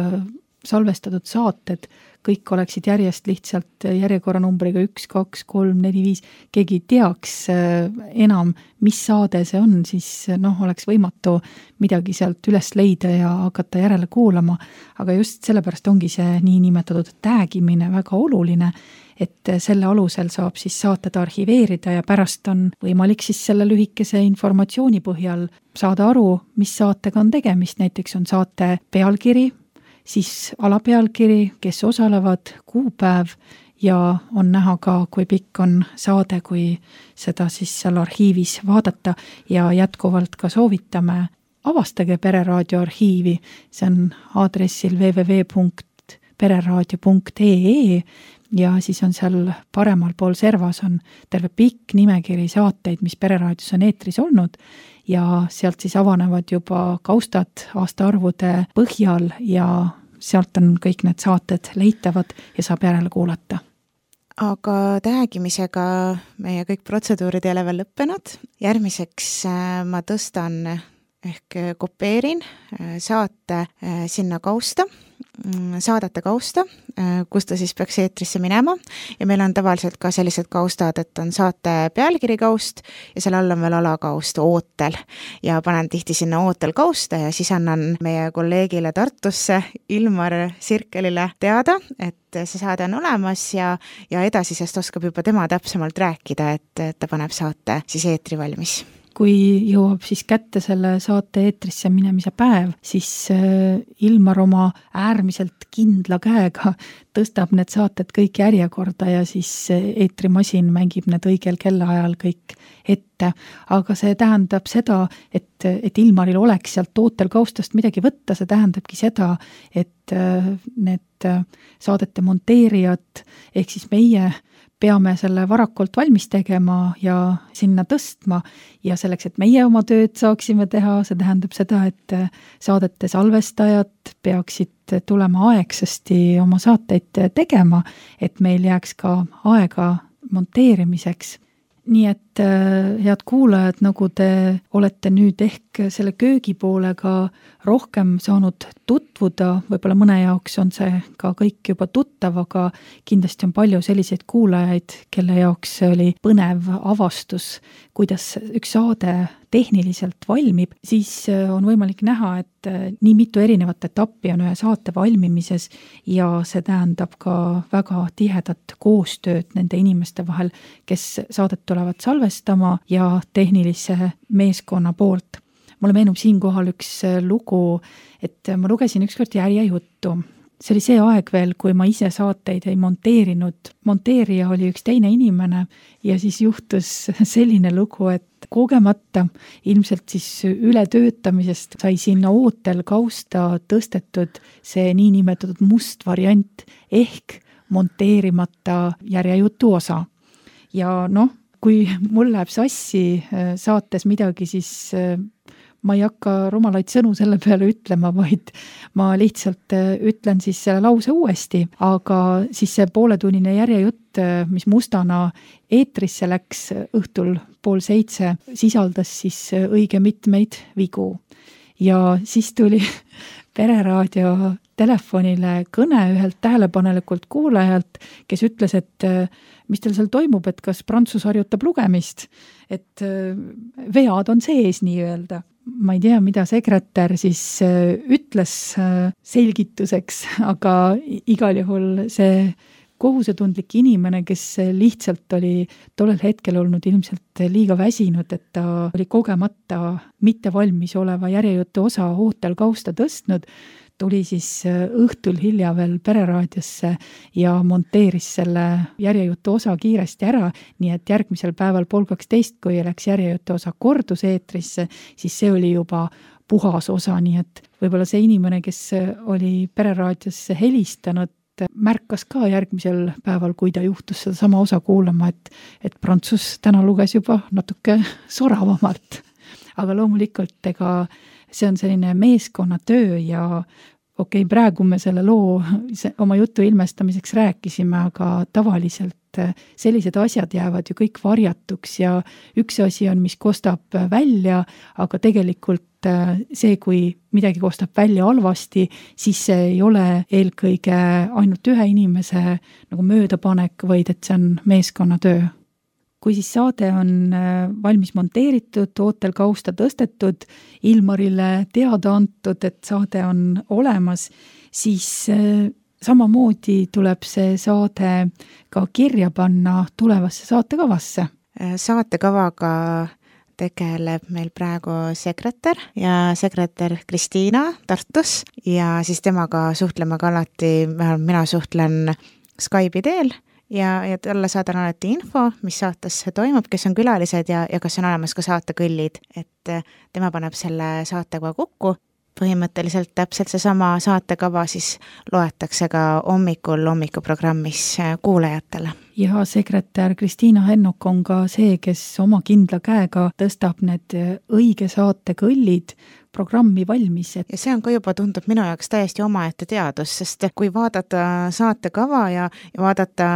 salvestatud saated kõik oleksid järjest lihtsalt järjekorranumbriga üks, kaks, kolm, neli, viis, keegi teaks enam, mis saade see on, siis noh, oleks võimatu midagi sealt üles leida ja hakata järele kuulama, aga just sellepärast ongi see niinimetatud täägimine väga oluline, et selle alusel saab siis saated arhiveerida ja pärast on võimalik siis selle lühikese informatsiooni põhjal saada aru, mis saatega on tegemist, näiteks on saate pealkiri, siis alapealkiri, kes osalevad, kuupäev ja on näha ka, kui pikk on saade, kui seda siis seal arhiivis vaadata ja jätkuvalt ka soovitame, avastage Pereraadio arhiivi, see on aadressil w w w punkt pereraadio punkt e e ja siis on seal paremal pool servas on terve pikk nimekiri saateid, mis Pereraadios on eetris olnud ja sealt siis avanevad juba kaustad aastaarvude põhjal ja sealt on kõik need saated leitavad ja saab järele kuulata. Aga täägimisega meie kõik protseduurid ei ole veel lõppenud. Järgmiseks ma tõstan ehk kopeerin saate sinna kausta, saadete kausta, kus ta siis peaks eetrisse minema ja meil on tavaliselt ka sellised kaustad, et on saate pealkiri kaust ja seal all on veel alakaust ootel ja panen tihti sinna ootel kausta ja siis annan meie kolleegile Tartusse Ilmar Sirkelile teada, et see saade on olemas ja, ja edasisest oskab juba tema täpsemalt rääkida, et ta paneb saate siis eetri valmis. Kui jõuab siis kätte selle saate eetrisse minemise päev, siis Ilmar oma äärmiselt kindla käega tõstab need saated kõik järjekorda ja siis eetrimasin mängib need õigel kellaajal kõik ette. Aga see tähendab seda, et, et Ilmaril oleks sealt ootel kaustast midagi võtta, see tähendabki seda, et need saadete monteerijad ehk siis meie peame selle varakult valmis tegema ja sinna tõstma ja selleks, et meie oma tööd saaksime teha, see tähendab seda, et saadete salvestajad peaksid tulema aegsasti oma saateid tegema, et meil jääks ka aega monteerimiseks. Nii et head kuulajad, nagu te olete nüüd ehk selle köögipoolega rohkem saanud tutvuda, võib-olla mõne jaoks on see ka kõik juba tuttav, aga kindlasti on palju selliseid kuulajaid, kelle jaoks oli põnev avastus, kuidas üks saade tehniliselt valmib, siis on võimalik näha, et nii mitu erinevat etappi on ühe saate valmimises ja see tähendab ka väga tihedat koostööd nende inimeste vahel, kes saadet tulevad salvestama ja tehnilise meeskonna poolt. Mulle meenub siinkohal üks lugu, et ma lugesin ükskord järjejuttu. See oli see aeg veel, kui ma ise saateid ei monteerinud. Monteerija oli üks teine inimene ja siis juhtus selline lugu, et kogemata ilmselt siis ületöötamisest sai sinna ootel kausta tõstetud see niinimetatud must variant ehk monteerimata järjejutu osa. Ja noh, kui mul läheb sassi saates midagi, siis ma ei hakka rumalaid sõnu selle peale ütlema, vaid ma lihtsalt ütlen siis selle lause uuesti, aga siis see pooletunnine järjejutt, mis mustana eetrisse läks õhtul pool seitse, sisaldas siis õige mitmeid vigu. Ja siis tuli Pereraadio telefonile kõne ühelt tähelepanelikult kuulajalt, kes ütles, et mis teil seal toimub, et kas Prantsus harjutab lugemist, et vead on sees nii-öelda. Ma ei tea, mida sekretär siis ütles selgituseks, aga igal juhul see kohusetundlik inimene, kes lihtsalt oli tollel hetkel olnud ilmselt liiga väsinud, et ta oli kogemata mitte valmis oleva järjejutu osa ootel kausta tõstnud, tuli siis õhtul hilja veel Pereraadiosse ja monteeris selle järjejutu osa kiiresti ära, nii et järgmisel päeval pool kaksteist, kui läks järjejutu osa kordus eetrisse, siis see oli juba puhas osa, nii et võib-olla see inimene, kes oli Pereraadiosse helistanud märkas ka järgmisel päeval, kui ta juhtus seda sama osa kuulama, et, et Prantsus täna luges juba natuke soravamalt. Aga loomulikult, ega see on selline meeskonnatöö ja okei, okay, praegu me selle loo oma jutu ilmestamiseks rääkisime, aga tavaliselt sellised asjad jäävad ju kõik varjatuks ja üks asi on, mis kostab välja, aga tegelikult see, kui midagi kostab välja halvasti, siis see ei ole eelkõige ainult ühe inimese nagu möödapanek, vaid et see on meeskonnatöö. Kui siis saade on valmis monteeritud, ootel kausta tõstetud, Ilmarile teada antud, et saade on olemas, siis samamoodi tuleb see saade ka kirja panna tulevasse saatekavasse. Saatekavaga tegeleb meil praegu sekretär ja sekretär Kristiina Tartus ja siis temaga suhtleme ka alati, vähemalt mina suhtlen Skype'i teel ja, ja talle saadan alati info, mis saates toimub, kes on külalised ja, ja kas on olemas ka saatekõllid, et tema paneb selle saatekava kokku. Põhimõtteliselt täpselt seesama saatekava siis loetakse ka hommikul hommikuprogrammis kuulajatele. Ja sekretär Kristiina Hennok on ka see, kes oma kindla käega tõstab need õige saatekõllid programmi valmis. Ja see on ka juba tundub minu jaoks täiesti omaette teadus, sest kui vaadata saatekava ja, ja vaadata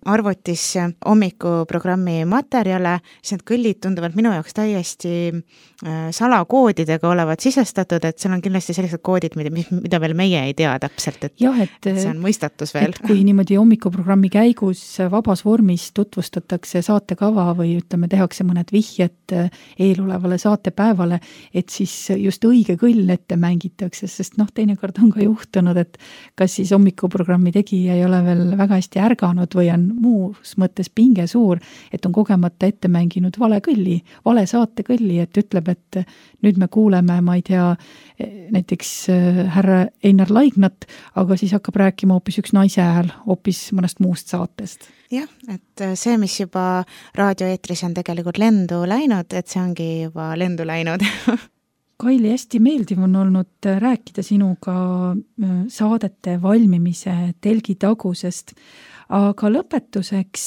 arvutis hommikuprogrammi materjale, siis need kõllid tunduvad minu jaoks täiesti salakoodidega olevat sisestatud, et seal on kindlasti sellised koodid, mida, mida veel meie ei tea täpselt, et, jah, et, et see on mõistatus veel. Et kui niimoodi hommikuprogrammi käigus vabas vormis tutvustatakse saatekava või ütleme, tehakse mõned vihjed eelolevale saatepäevale, et siis just õige kõll ette mängitakse, sest noh, teinekord on ka juhtunud, et kas siis hommikuprogrammi tegija ei ole veel väga hästi ärganud või on muus mõttes pinge suur, et on kogemata ette mänginud vale kõlli, vale saate kõlli, et ütleb, et nüüd me kuuleme, ma ei tea, näiteks härra Einar Laignat, aga siis hakkab rääkima hoopis üks naise hääl hoopis mõnest muust saatest. Jah, et see, mis juba raadioeetris on tegelikult lendu läinud, et see ongi juba lendu läinud. Kaili, hästi meeldiv on olnud rääkida sinuga saadete valmimise telgitagusest, aga lõpetuseks,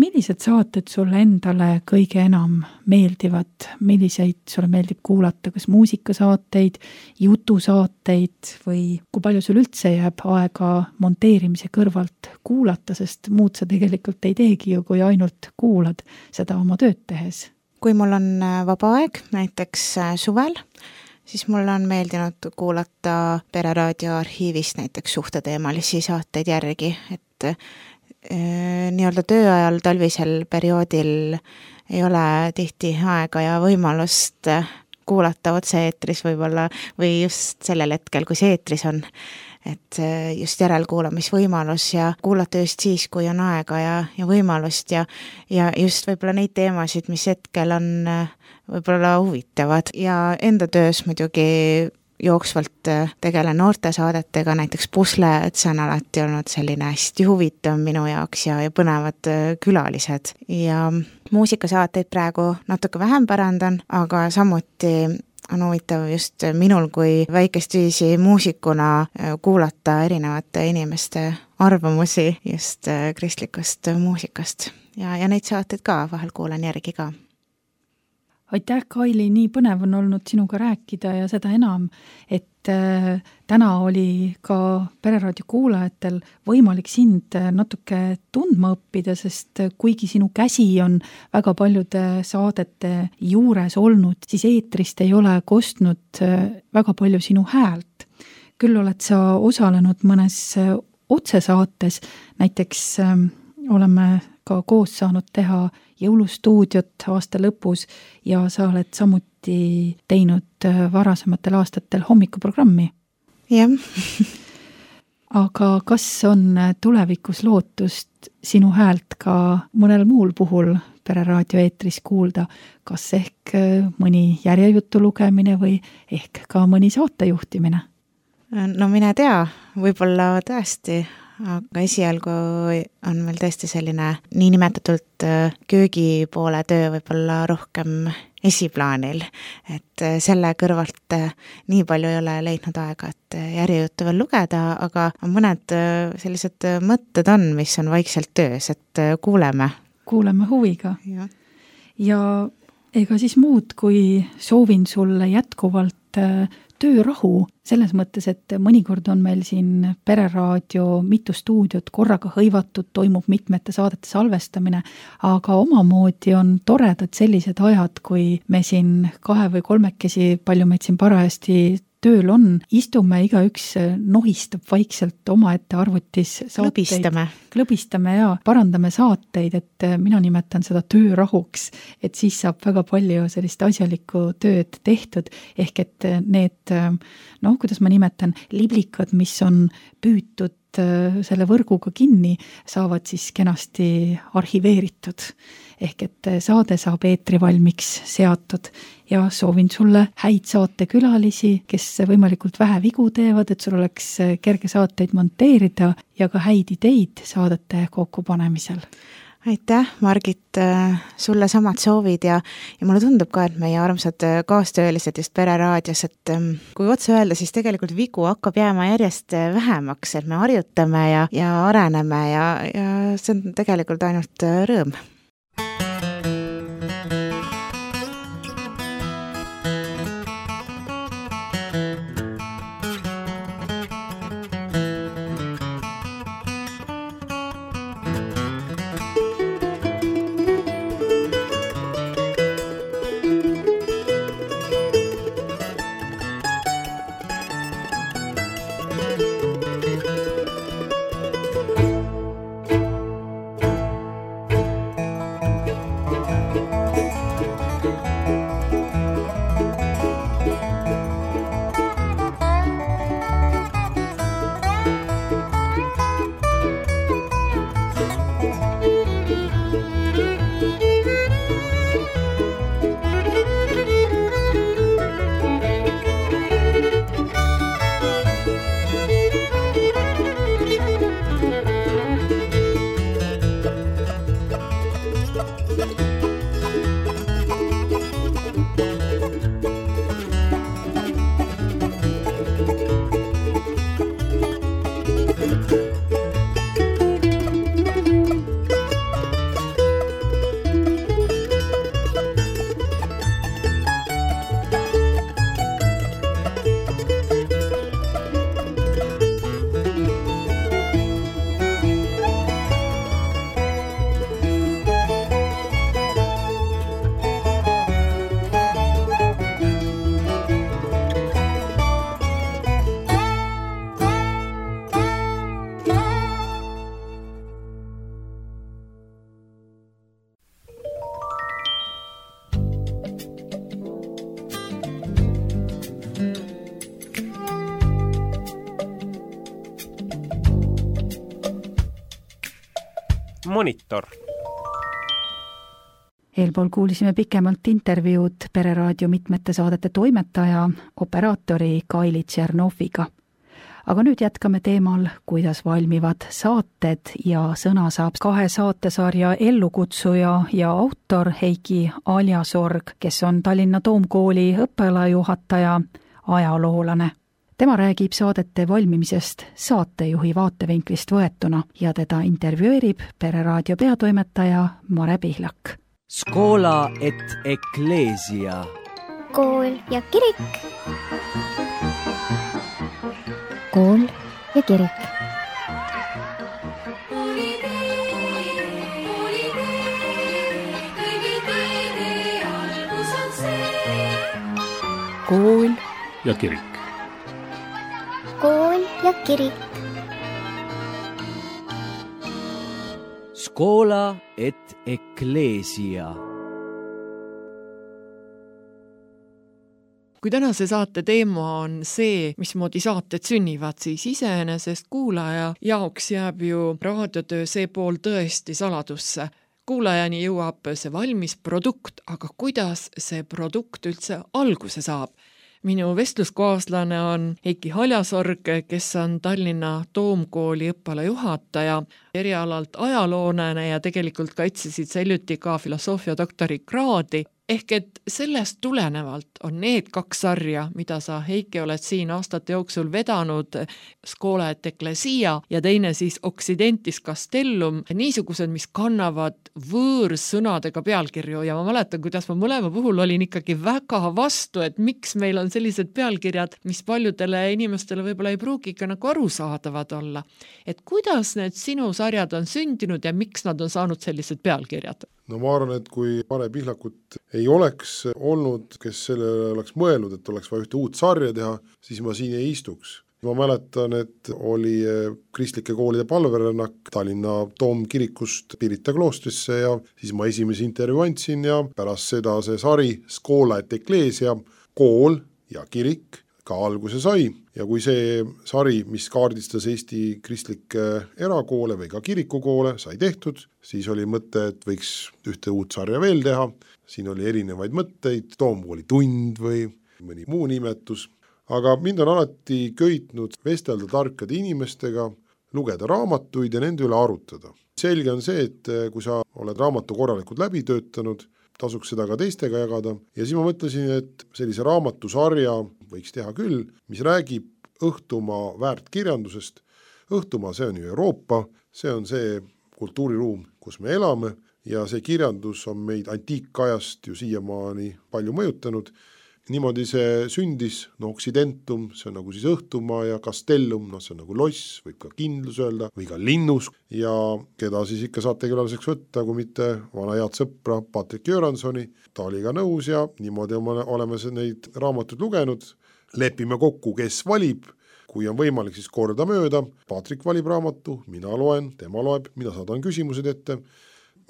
millised saated sulle endale kõige enam meeldivad, milliseid sulle meeldib kuulata, kas muusikasaateid, jutusaateid või kui palju sul üldse jääb aega monteerimise kõrvalt kuulata, sest muud sa tegelikult ei teegi ju, kui ainult kuulad seda oma tööd tehes? Kui mul on vaba aeg, näiteks suvel, siis mul on meeldinud kuulata Pereraadio arhiivist näiteks suhteteemalisi saateid järgi, et e, nii-öelda tööajal talvisel perioodil ei ole tihti aega ja võimalust kuulata otse-eetris võib-olla või just sellel hetkel, kui see eetris on, et just järelkuulamisvõimalus ja kuulata just siis, kui on aega ja, ja võimalust ja, ja just võib-olla neid teemasid, mis hetkel on võib-olla huvitavad ja enda töös muidugi jooksvalt tegelen noortesaadetega, näiteks Pusle, et see on alati olnud selline hästi huvitav minu jaoks ja, ja põnevad külalised ja muusikasaateid praegu natuke vähem pärandan, aga samuti on huvitav just minul kui väikest viisi muusikuna kuulata erinevate inimeste arvamusi just kristlikust muusikast ja, ja neid saateid ka vahel kuulan järgi ka. Aitäh, Kaili, nii põnev on olnud sinuga rääkida ja seda enam, et äh, täna oli ka Pereraadio kuulajatel võimalik sind natuke tundma õppida, sest kuigi sinu käsi on väga paljude saadete juures olnud, siis eetrist ei ole kostnud väga palju sinu häält. Küll oled sa osalenud mõnes otsesaates, näiteks äh, oleme ka koos saanud teha jõulustuudiot aasta lõpus ja sa oled samuti teinud varasematel aastatel hommikuprogrammi. Jah. Aga kas on tulevikus lootust sinu häält ka mõnel muul puhul Pereraadio eetris kuulda, kas ehk mõni järjejutu lugemine või ehk ka mõni saatejuhtimine? No mine tea, võib-olla tõesti, aga esialgu on meil tõesti selline niinimetatult köögi poole töö võib-olla rohkem esiplaanil, et selle kõrvalt nii palju ei ole leidnud aega, et järjejuttu veel lugeda, aga mõned sellised mõtted on, mis on vaikselt töös, et kuuleme. Kuuleme huviga. Ja, ja ega siis muud, kui soovin sulle jätkuvalt töörahu, selles mõttes, et mõnikord on meil siin Pereraadio mitu stuudiot korraga hõivatud, toimub mitmete saadete salvestamine, aga omamoodi on toredad sellised ajad, kui me siin kahe või kolmekesi, palju meid siin parajasti tööl on, istume, igaüks nohistab vaikselt omaette arvutis saateid. Klõbistame. Klõbistame ja parandame saateid, et mina nimetan seda töörahuks, et siis saab väga palju sellist asjalikku tööd tehtud, ehk et need, noh, kuidas ma nimetan, liblikad, mis on püütud selle võrguga kinni, saavad siis kenasti arhiveeritud. Ehk et saade saab eetri valmiks seatud ja soovin sulle häid saatekülalisi, kes võimalikult vähe vigu teevad, et sul oleks kerge saateid monteerida ja ka häid ideid saadete kokkupanemisel. Aitäh, Margit, sulle samad soovid ja, ja mulle tundub ka, et meie armsad kaastöölised just Pereraadios, et kui otse öelda, siis tegelikult vigu hakkab jääma järjest vähemaks, et me harjutame ja, ja areneme ja, ja see on tegelikult ainult rõõm. Monitor. Eelpool kuulisime pikemalt intervjuud Pereraadio mitmete saadete toimetaja, operaatori Kaili Tšernoviga. Aga nüüd jätkame teemal, kuidas valmivad saated ja sõna saab kahe saatesarja ellukutsuja ja autor Heiki Aljasorg, kes on Tallinna Toomkooli õppealajuhataja, ajaloolane. Tema räägib saadete valmimisest saatejuhi vaatevinklist võetuna ja teda intervjueerib Pereraadio peatoimetaja Mare Pihlak. Skola et Ecclesia. Kool ja kirik. Kool ja kirik. Kool ja kirik. Kool ja kirik. Skola et Ecclesia. Kui tänase saate teema on see, mismoodi saated sünnivad, siis iseenesest kuulaja jaoks jääb ju raadiotöö see pool tõesti saladusse. Kuulajani jõuab see valmis produkt, aga kuidas see produkt üldse alguse saab? Minu vestluskaaslane on Heiki Aljasorg, kes on Tallinna Toomkooli õppealajuhataja, erialalt ajaloonane ja tegelikult kaitsesid seljuti ka filosoofia doktori kraadi. ehk et sellest tulenevalt on need kaks sarja, mida sa, Heiki, oled siin aastate jooksul vedanud, Scola et Ecclesia ja teine siis Occidentis Castellum, niisugused, mis kannavad võõrsõnadega pealkirju ja ma mäletan, kuidas ma mõlema puhul olin ikkagi väga vastu, et miks meil on sellised pealkirjad, mis paljudele inimestele võib-olla ei pruugi ikka nagu arusaadavad olla. Et kuidas need sinu sarjad on sündinud ja miks nad on saanud sellised pealkirjad? No ma arvan, et kui Mare Pihlakut ei oleks olnud, kes selle oleks mõelnud, et oleks vaja ühte uut sarja teha, siis ma siin ei istuks. Ma mäletan, et oli kristlike koolide palverännak Tallinna Toomkirikust Pirita kloostrisse ja siis ma esimese intervjuu andsin ja pärast seda see sari Scola et Ecclesia, kool ja kirik ka alguse sai ja kui see sari, mis kaardistas Eesti kristlikke erakoole või ka kirikukoole, sai tehtud, siis oli mõte, et võiks ühte uut sarja veel teha, siin oli erinevaid mõtteid, Toomkooli tund või mõni muu nimetus, aga mind on alati köitnud vestelda tarkade inimestega, lugeda raamatuid ja nende üle arutada. Selge on see, et kui sa oled raamatu korralikult läbi töötanud, tasuks seda ka teistega jagada ja siis ma mõtlesin, et sellise raamatusarja võiks teha küll, mis räägib Õhtumaa väärtkirjandusest. Õhtumaa, see on ju Euroopa, see on see kultuuriruum, kus me elame ja see kirjandus on meid antiikajast ju siiamaani palju mõjutanud. Niimoodi see sündis, no Occidentum, see on nagu siis Õhtumaa ja Castellum, no see on nagu loss, võib ka kindlus öelda, või ka linnus ja keda siis ikka saate külaliseks võtta, kui mitte vana head sõpra Patrik Göransoni. Ta oli ka nõus ja niimoodi oleme neid raamatuid lugenud. Lepime kokku, kes valib, kui on võimalik siis korda mööda. Patrik valib raamatu, mina loen, tema loeb, mina saadan küsimused ette.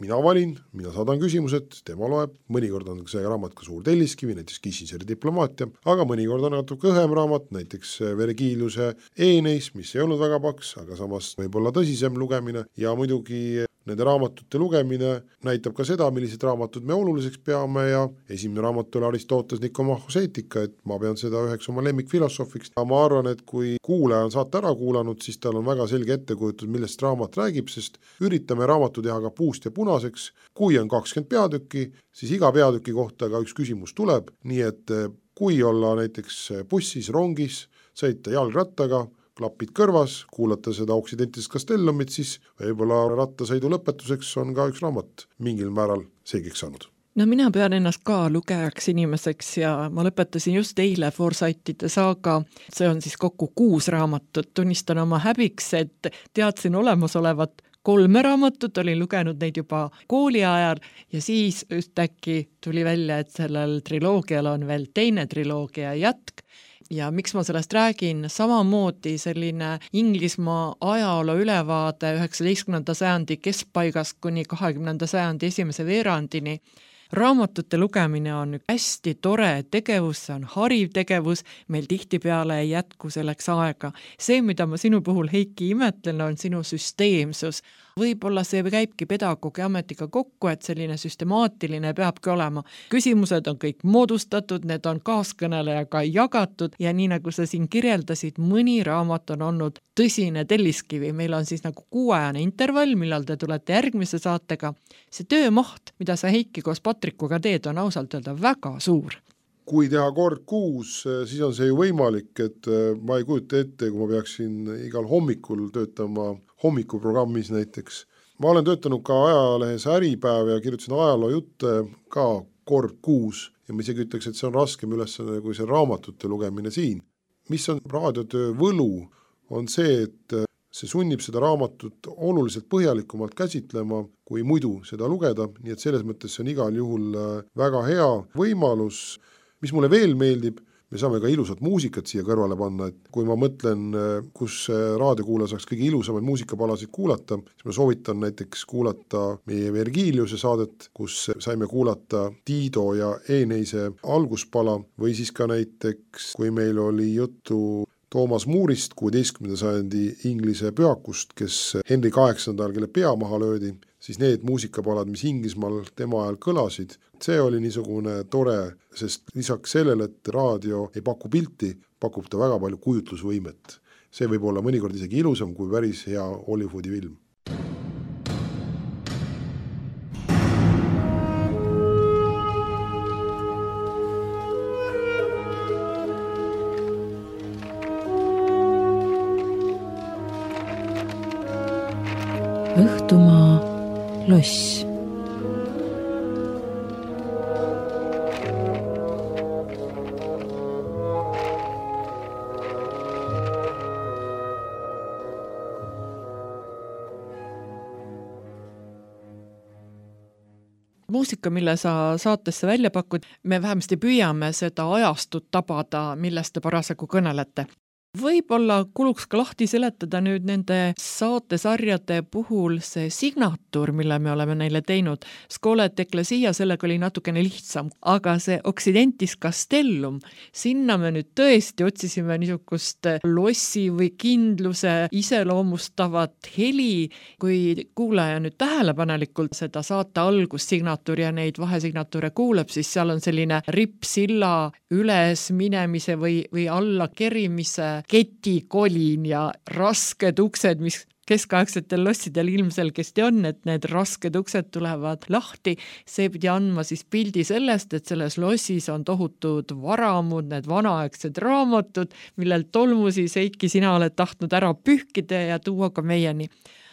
Mina valin, mina saadan küsimused, tema loeb, mõnikord on see raamat ka suur telliskivi, näiteks Kissingeri diplomaatia, aga mõnikord on natuke õhem raamat, näiteks Vergiliuse Eeneis, mis ei olnud väga paks, aga samas võib-olla tõsisem lugemine ja muidugi nende raamatute lugemine näitab ka seda, millised raamatud me oluliseks peame ja esimene raamat oli Aristoteles Nikomachos eetika, et ma pean seda üheks oma lemmikfilosoofiks. Ma arvan, et kui kuulaja on saate ära kuulanud, siis tal on väga selge ettekujutus, millest raamat räägib, sest üritame raamatu teha ka puust ja punaseks. Kui on kakskümmend peatükki, siis iga peatüki kohta ka üks küsimus tuleb, nii et kui olla näiteks bussis, rongis, sõita jalgrattaga, klapid kõrvas, kuulata seda Occidentis Castellumit, siis võib-olla rattasõidu lõpetuseks on ka üks raamat mingil määral selgeks saanud. No mina pean ennast ka lugejaks inimeseks ja ma lõpetasin just eile Forsythide saaga, see on siis kokku kuus raamatut, tunnistan oma häbiks, et teadsin olemasolevat kolme raamatut, olin lugenud neid juba kooli ajal ja siis ühtäkki tuli välja, et sellel triloogial on veel teine triloogia jätk. Ja miks ma sellest räägin, samamoodi selline Inglismaa ajaloo ülevaade üheksateistkümnenda sajandi keskpaigast kuni kahekümnenda sajandi esimese veerandini. Raamatute lugemine on hästi tore tegevus, see on hariv tegevus, meil tihtipeale ei jätku selleks aega. See, mida ma sinu puhul, Heiki, imetlen, on sinu süsteemsus. Võib-olla see käibki pedagoogi ametiga kokku, et selline süstemaatiline peabki olema. Küsimused on kõik moodustatud, need on kaaskõnelejaga jagatud ja nii nagu sa siin kirjeldasid, mõni raamat on olnud tõsine telliskivi. Meil on siis nagu kuuajane intervall, millal te tulete järgmise saatega. See töömaht, mida sa, Heiki, koos Patrikuga teed, on ausalt öelda väga suur. Kui teha kord kuus, siis on see ju võimalik, et ma ei kujuta ette, kui ma peaksin igal hommikul töötama hommikuprogrammis näiteks. Ma olen töötanud ka ajalehes Äripäev ja kirjutasin ajaloo jutte ka kord kuus ja ma isegi ütleks, et see on raskem ülesanne kui see raamatute lugemine siin. Mis on raadiotöö võlu, on see, et see sunnib seda raamatut oluliselt põhjalikumalt käsitlema, kui muidu seda lugeda, nii et selles mõttes see on igal juhul väga hea võimalus. Mis mulle veel meeldib, me saame ka ilusat muusikat siia kõrvale panna, et kui ma mõtlen, kus raadiokuulaja saaks kõige ilusamaid muusikapalasid kuulata, siis ma soovitan näiteks kuulata meie Vergiliuse saadet, kus saime kuulata Tiido ja Eeneise alguspala või siis ka näiteks, kui meil oli juttu Toomas Moorist, kuueteistkümnenda sajandi Inglise pühakust, kes Henry kaheksandal, kelle pea maha löödi, siis need muusikapalad, mis Inglismaal tema ajal kõlasid, see oli niisugune tore, sest lisaks sellele, et raadio ei paku pilti, pakub ta väga palju kujutlusvõimet. See võib olla mõnikord isegi ilusam kui päris hea Hollywoodi film. Õhtumaa loss. Muusika, mille sa saatesse välja pakud, me vähemasti püüame seda ajastut tabada, millest te parasjagu kõnelete. Võib-olla kuluks ka lahti seletada nüüd nende saatesarjade puhul see signatuur, mille me oleme neile teinud. Schola et Ecclesia, sellega oli natukene lihtsam, aga see Occidentis Castellum, sinna me nüüd tõesti otsisime niisugust lossi või kindluse iseloomustavat heli. Kui kuulaja nüüd tähelepanelikult seda saate algussignatuuri ja neid vahesignatuure kuuleb, siis seal on selline rippsilla üles minemise või, või alla kerimise ketikolin ja rasked uksed, mis keskaegsetel lossidel ilmselgesti on, et need rasked uksed tulevad lahti. See pidi andma siis pildi sellest, et selles lossis on tohutud varamud, need vanaaegsed raamatud, millel tolmusi Seiki sina oled tahtnud ära pühkida ja tuua ka meieni.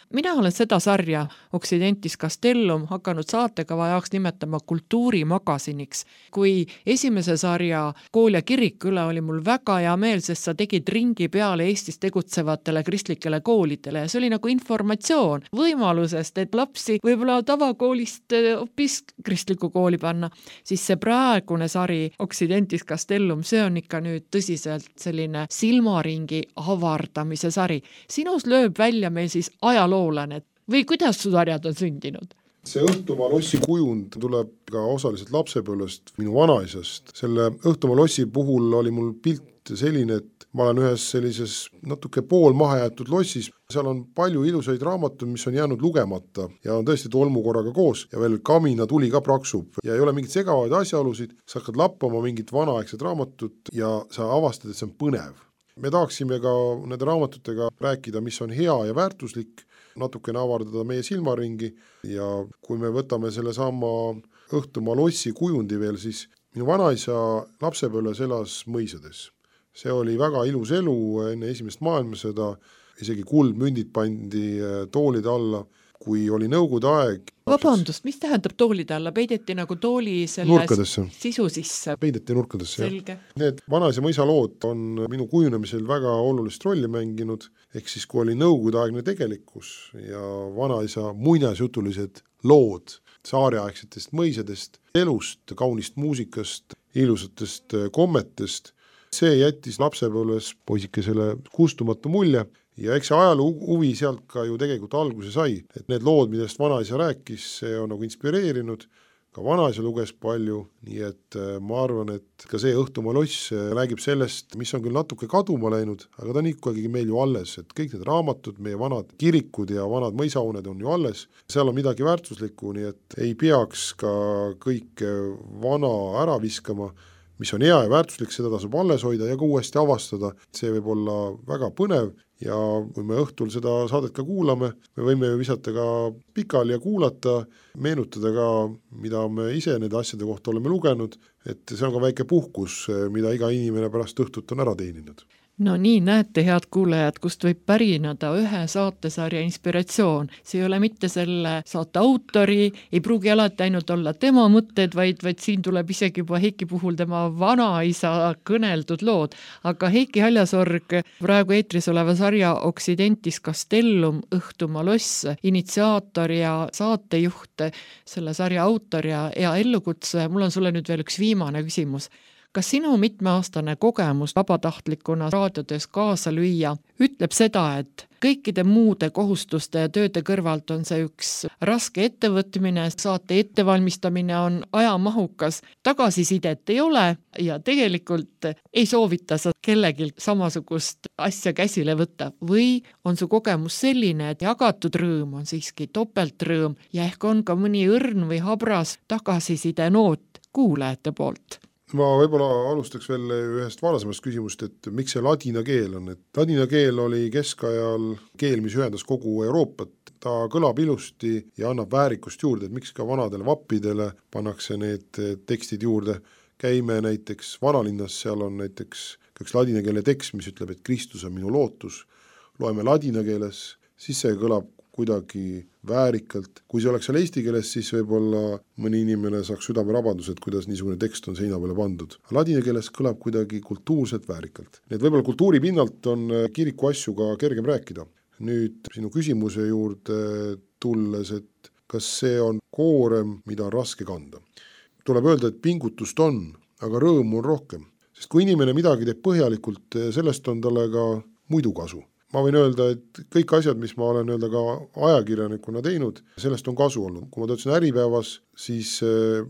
Mina olen seda sarja Occidentis Castellum hakanud saatekava jaoks nimetama kultuurimagasiniks. Kui esimese sarja Kool ja kirik üle oli mul väga hea meel, sest sa tegid ringi peale Eestis tegutsevatele kristlikele koolidele ja see oli nagu informatsioon võimalusest, et lapsi võib-olla tavakoolist hoopis kristlikku kooli panna. Siis see praegune sari Occidentis Castellum, see on ikka nüüd tõsiselt selline silmaringi avardamise sari. Sinus lööb välja meil siis ajaloo või kuidas su sarjad on sündinud? See Õhtumaa lossi kujund tuleb ka osaliselt lapsepõlvest minu vanaisast. Selle Õhtumaa lossi puhul oli mul pilt selline, et ma olen ühes sellises natuke pool mahajäetud lossis. Seal on palju ilusaid raamatuid, mis on jäänud lugemata ja on tõesti tolmukorraga koos ja veel kamina tuli ka praksub ja ei ole mingit segavaid asjaolusid. Sa hakkad lappama mingit vanaaegset raamatut ja sa avastad, et see on põnev. Me tahaksime ka nende raamatutega rääkida, mis on hea ja väärtuslik, natukene avardada meie silmaringi ja kui me võtame selle sama Õhtumaa lossi kujundi veel, siis minu vanaisa lapsepõlves elas mõisades. See oli väga ilus elu enne esimest maailmasõda, isegi kuldmündid pandi toolide alla, kui oli nõukogude aeg. Vabandust, mis tähendab toolide alla? Peideti nagu tooli selle nurkadesse. Sisu sisse? Peideti nurkadesse. Selge. Need vanaisa mõisa lood on minu kujunemisel väga olulist rolli mänginud, ehk siis kui oli nõukogude aegne tegelikkus ja vanaisa muinasjutulised lood saariaegsetest mõisadest, elust, kaunist muusikast, ilusatest kommetest, see jättis lapsepõlves poisikesele kustumatu mulje. Ja eks see ajaloo huvi sealt ka ju tegelikult alguse sai, et need lood, millest vanaisa rääkis, see on nagu inspireerinud, ka vanaisa luges palju, nii et ma arvan, et ka see Õhtumaa loss räägib sellest, mis on küll natuke kaduma läinud, aga ta on ikkagi meil ju alles, et kõik need raamatud, meie vanad kirikud ja vanad mõisauned on ju alles, seal on midagi väärtuslikku, nii et ei peaks ka kõik vana ära viskama, mis on hea ja väärtuslik, seda tasub alles hoida ja ka uuesti avastada, see võib olla väga põnev ja kui me õhtul seda saadet ka kuulame, me võime ju visata ka pikali ja kuulata, meenutada ka, mida me ise nende asjade kohta oleme lugenud, et see on ka väike puhkus, mida iga inimene pärast õhtut on ära teeninud. No nii, näete, head kuulajad, kust võib pärinada ühe saatesarja inspiratsioon. See ei ole mitte selle saate autori, ei pruugi alati ainult olla tema mõtted, vaid, vaid siin tuleb isegi juba Heiki puhul tema vanaisa kõneldud lood. Aga Heiki Haljasorg, praegu eetris oleva sarja Occidentis Castellum, Õhtumaa loss, initsiaator ja saatejuht, selle sarja autor ja hea ellukutse. Mul on sulle nüüd veel üks viimane küsimus. Kas sinu mitmeaastane kogemus vabatahtlikuna raadiotöös kaasa lüüa ütleb seda, et kõikide muude kohustuste ja tööde kõrvalt on see üks raske ettevõtmine, saate ettevalmistamine on ajamahukas, tagasisidet ei ole ja tegelikult ei soovita sa kellelgi samasugust asja käsile võtta või on su kogemus selline, et jagatud rõõm on siiski topeltrõõm ja ehk on ka mõni õrn või habras tagasiside noot kuulajate poolt? Ma võib-olla alustaks veel ühest varasemast küsimust, et miks see ladina keel on, et ladina keel oli keskajal keel, mis ühendas kogu Euroopat, ta kõlab ilusti ja annab väärikust juurde, et miks ka vanadele vappidele pannakse need tekstid juurde. Käime näiteks vanalinnas, seal on näiteks üks ladina keele tekst, mis ütleb, et Kristus on minu lootus, loeme ladina keeles, siis see kõlab kuidagi väärikalt. Kui see oleks seal eesti keeles, siis võib-olla mõni inimene saaks südamerabandus, et kuidas niisugune tekst on seina peale pandud. Ladina keeles kõlab kuidagi kultuurselt väärikalt. Nii et võib-olla kultuuri pinnalt on kiriku asju ka kergem rääkida. Nüüd sinu küsimuse juurde tulles, et kas see on koorem, mida on raske kanda. Tuleb öelda, et pingutust on, aga rõõmu on rohkem. Sest kui inimene midagi teeb põhjalikult, sellest on talle ka muidu kasu. Ma võin öelda, et kõik asjad, mis ma olen öelda ka ajakirjanikuna teinud, sellest on kasu olnud. Kui ma töötasin Äripäevas, siis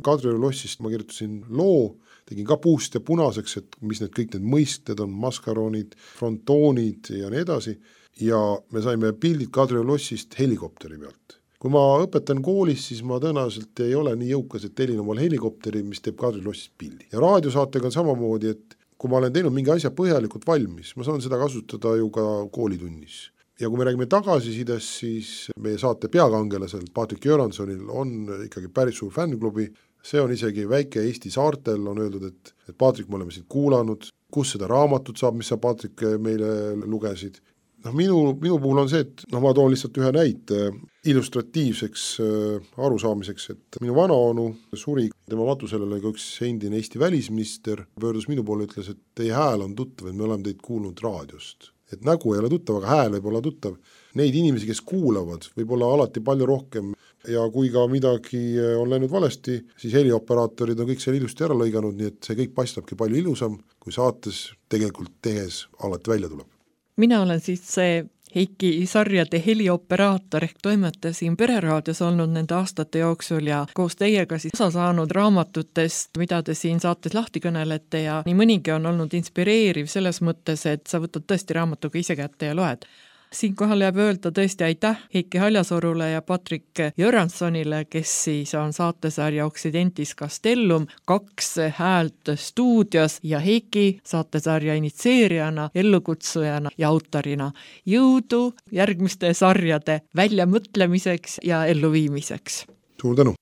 Kadrioru lossist ma kirjutasin loo, tegin ka puust ja punaseks, et mis need kõik need mõisted on, maskaronid, frontoonid ja nii edasi. Ja me saime pildid Kadrioru lossist helikopteri pealt. Kui ma õpetan koolis, siis ma tõenäoliselt ei ole nii jõukas, et telin omal helikopteri, mis teeb Kadrioru lossist pildi. Ja raadiosaatega on samamoodi, et kui ma olen teinud mingi asja põhjalikult valmis, ma saan seda kasutada ju ka koolitunnis. Ja kui me räägime tagasisidest, siis meie saate peakangelasel Patrik Göranssonil on ikkagi päris suur fännklubi. See on isegi väike Eesti saartel, on öeldud, et, et Patrik, me oleme sind kuulanud, kus seda raamatut saab, mis sa Patrik meile lugesid. No, minu, minu puhul on see, et no, ma toon lihtsalt ühe näite illustratiivseks äh, arusaamiseks, et minu vanaonu suri, tema matusele ka üks endine Eesti välisminister, pöördus minu poole ja ütles, et teie hääl on tuttav, et me oleme teid kuulnud raadiost. Et nägu ei ole tuttav, aga hääl võib olla tuttav. Neid inimesi, kes kuulavad, võib olla alati palju rohkem ja kui ka midagi on läinud valesti, siis helioperaatorid on kõik seal ilusti ära lõiganud, nii et see kõik paistabki palju ilusam, kui saates tegelikult tehes alati välja tuleb. Mina olen siis see Heiki sarjade helioperaator ehk toimetasin Pereraadios olnud nende aastate jooksul ja koos teiega siis osa saanud raamatutest, mida te siin saates lahti kõnelete ja nii mõnigi on olnud inspireeriv selles mõttes, et sa võtad tõesti raamatuga ise kätte ja loed. Siinkohal jääb öelda tõesti aitäh Heiki Haljasorule ja Patrik Göranssonile, kes siis on saatesarja Occidentis Castellum, kaks häält stuudios ja Heiki saatesarja initseerijana, ellukutsujana ja autorina. Jõudu järgmiste sarjade väljamõtlemiseks ja elluviimiseks. Suur tänu!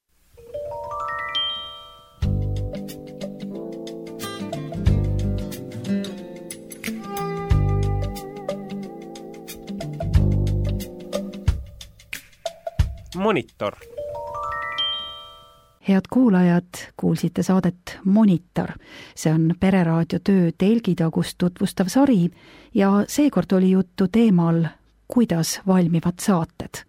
Monitor. Head kuulajad, kuulsite saadet Monitor. See on Pereraadio töö telgitagust tutvustav sari ja seekord oli juttu teemal, kuidas valmivad saated.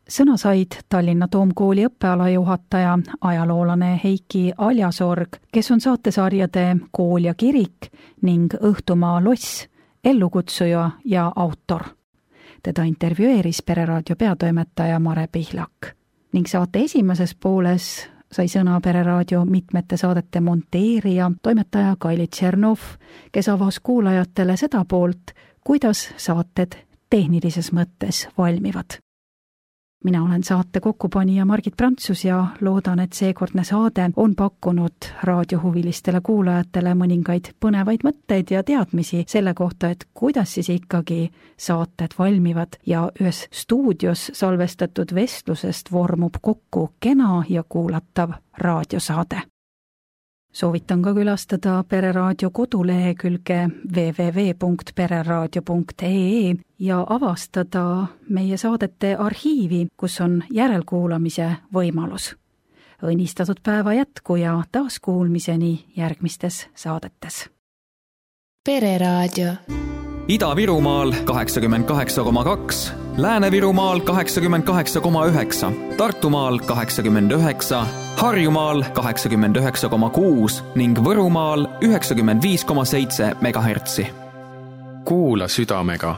Sõna said Tallinna Toomkooli õppeala juhataja, ajaloolane Heiki Haljasorg, kes on saatesarjade Kool ja kirik ning Õhtumaa loss, ellukutsuja ja autor. Teda intervjueeris Pereraadio peatoimetaja Mare Pihlak ning saate esimeses pooles sai sõna Pereraadio mitmete saadete monteerija, toimetaja Kaili Tšernov, kes avas kuulajatele seda poolt, kuidas saated tehnilises mõttes valmivad. Mina olen saate kokkupanija Margit Prantsus ja loodan, et seekordne saade on pakkunud raadiohuvilistele kuulajatele mõningaid põnevaid mõtteid ja teadmisi selle kohta, et kuidas siis ikkagi saated valmivad ja ühes stuudios salvestatud vestlusest vormub kokku kena ja kuulatav raadiosaade. Soovitan ka külastada Pereraadio kodulehekülge w w w punkt pereraadio punkt e e ja avastada meie saadete arhiivi, kus on järelkuulamise võimalus. Õnnistatud päeva jätku ja taaskuulmiseni järgmistes saadetes. Pereraadio. Ida-Virumaal kaheksakümmend kaheksa koma kaks, Lääne-Virumaal kaheksakümmend kaheksa koma üheksa, Tartumaal kaheksakümmend üheksa, Harjumaal kaheksakümmend üheksa koma kuus ning Võrumaal üheksakümmend viis koma seitse megahertsi. Kuula südamega.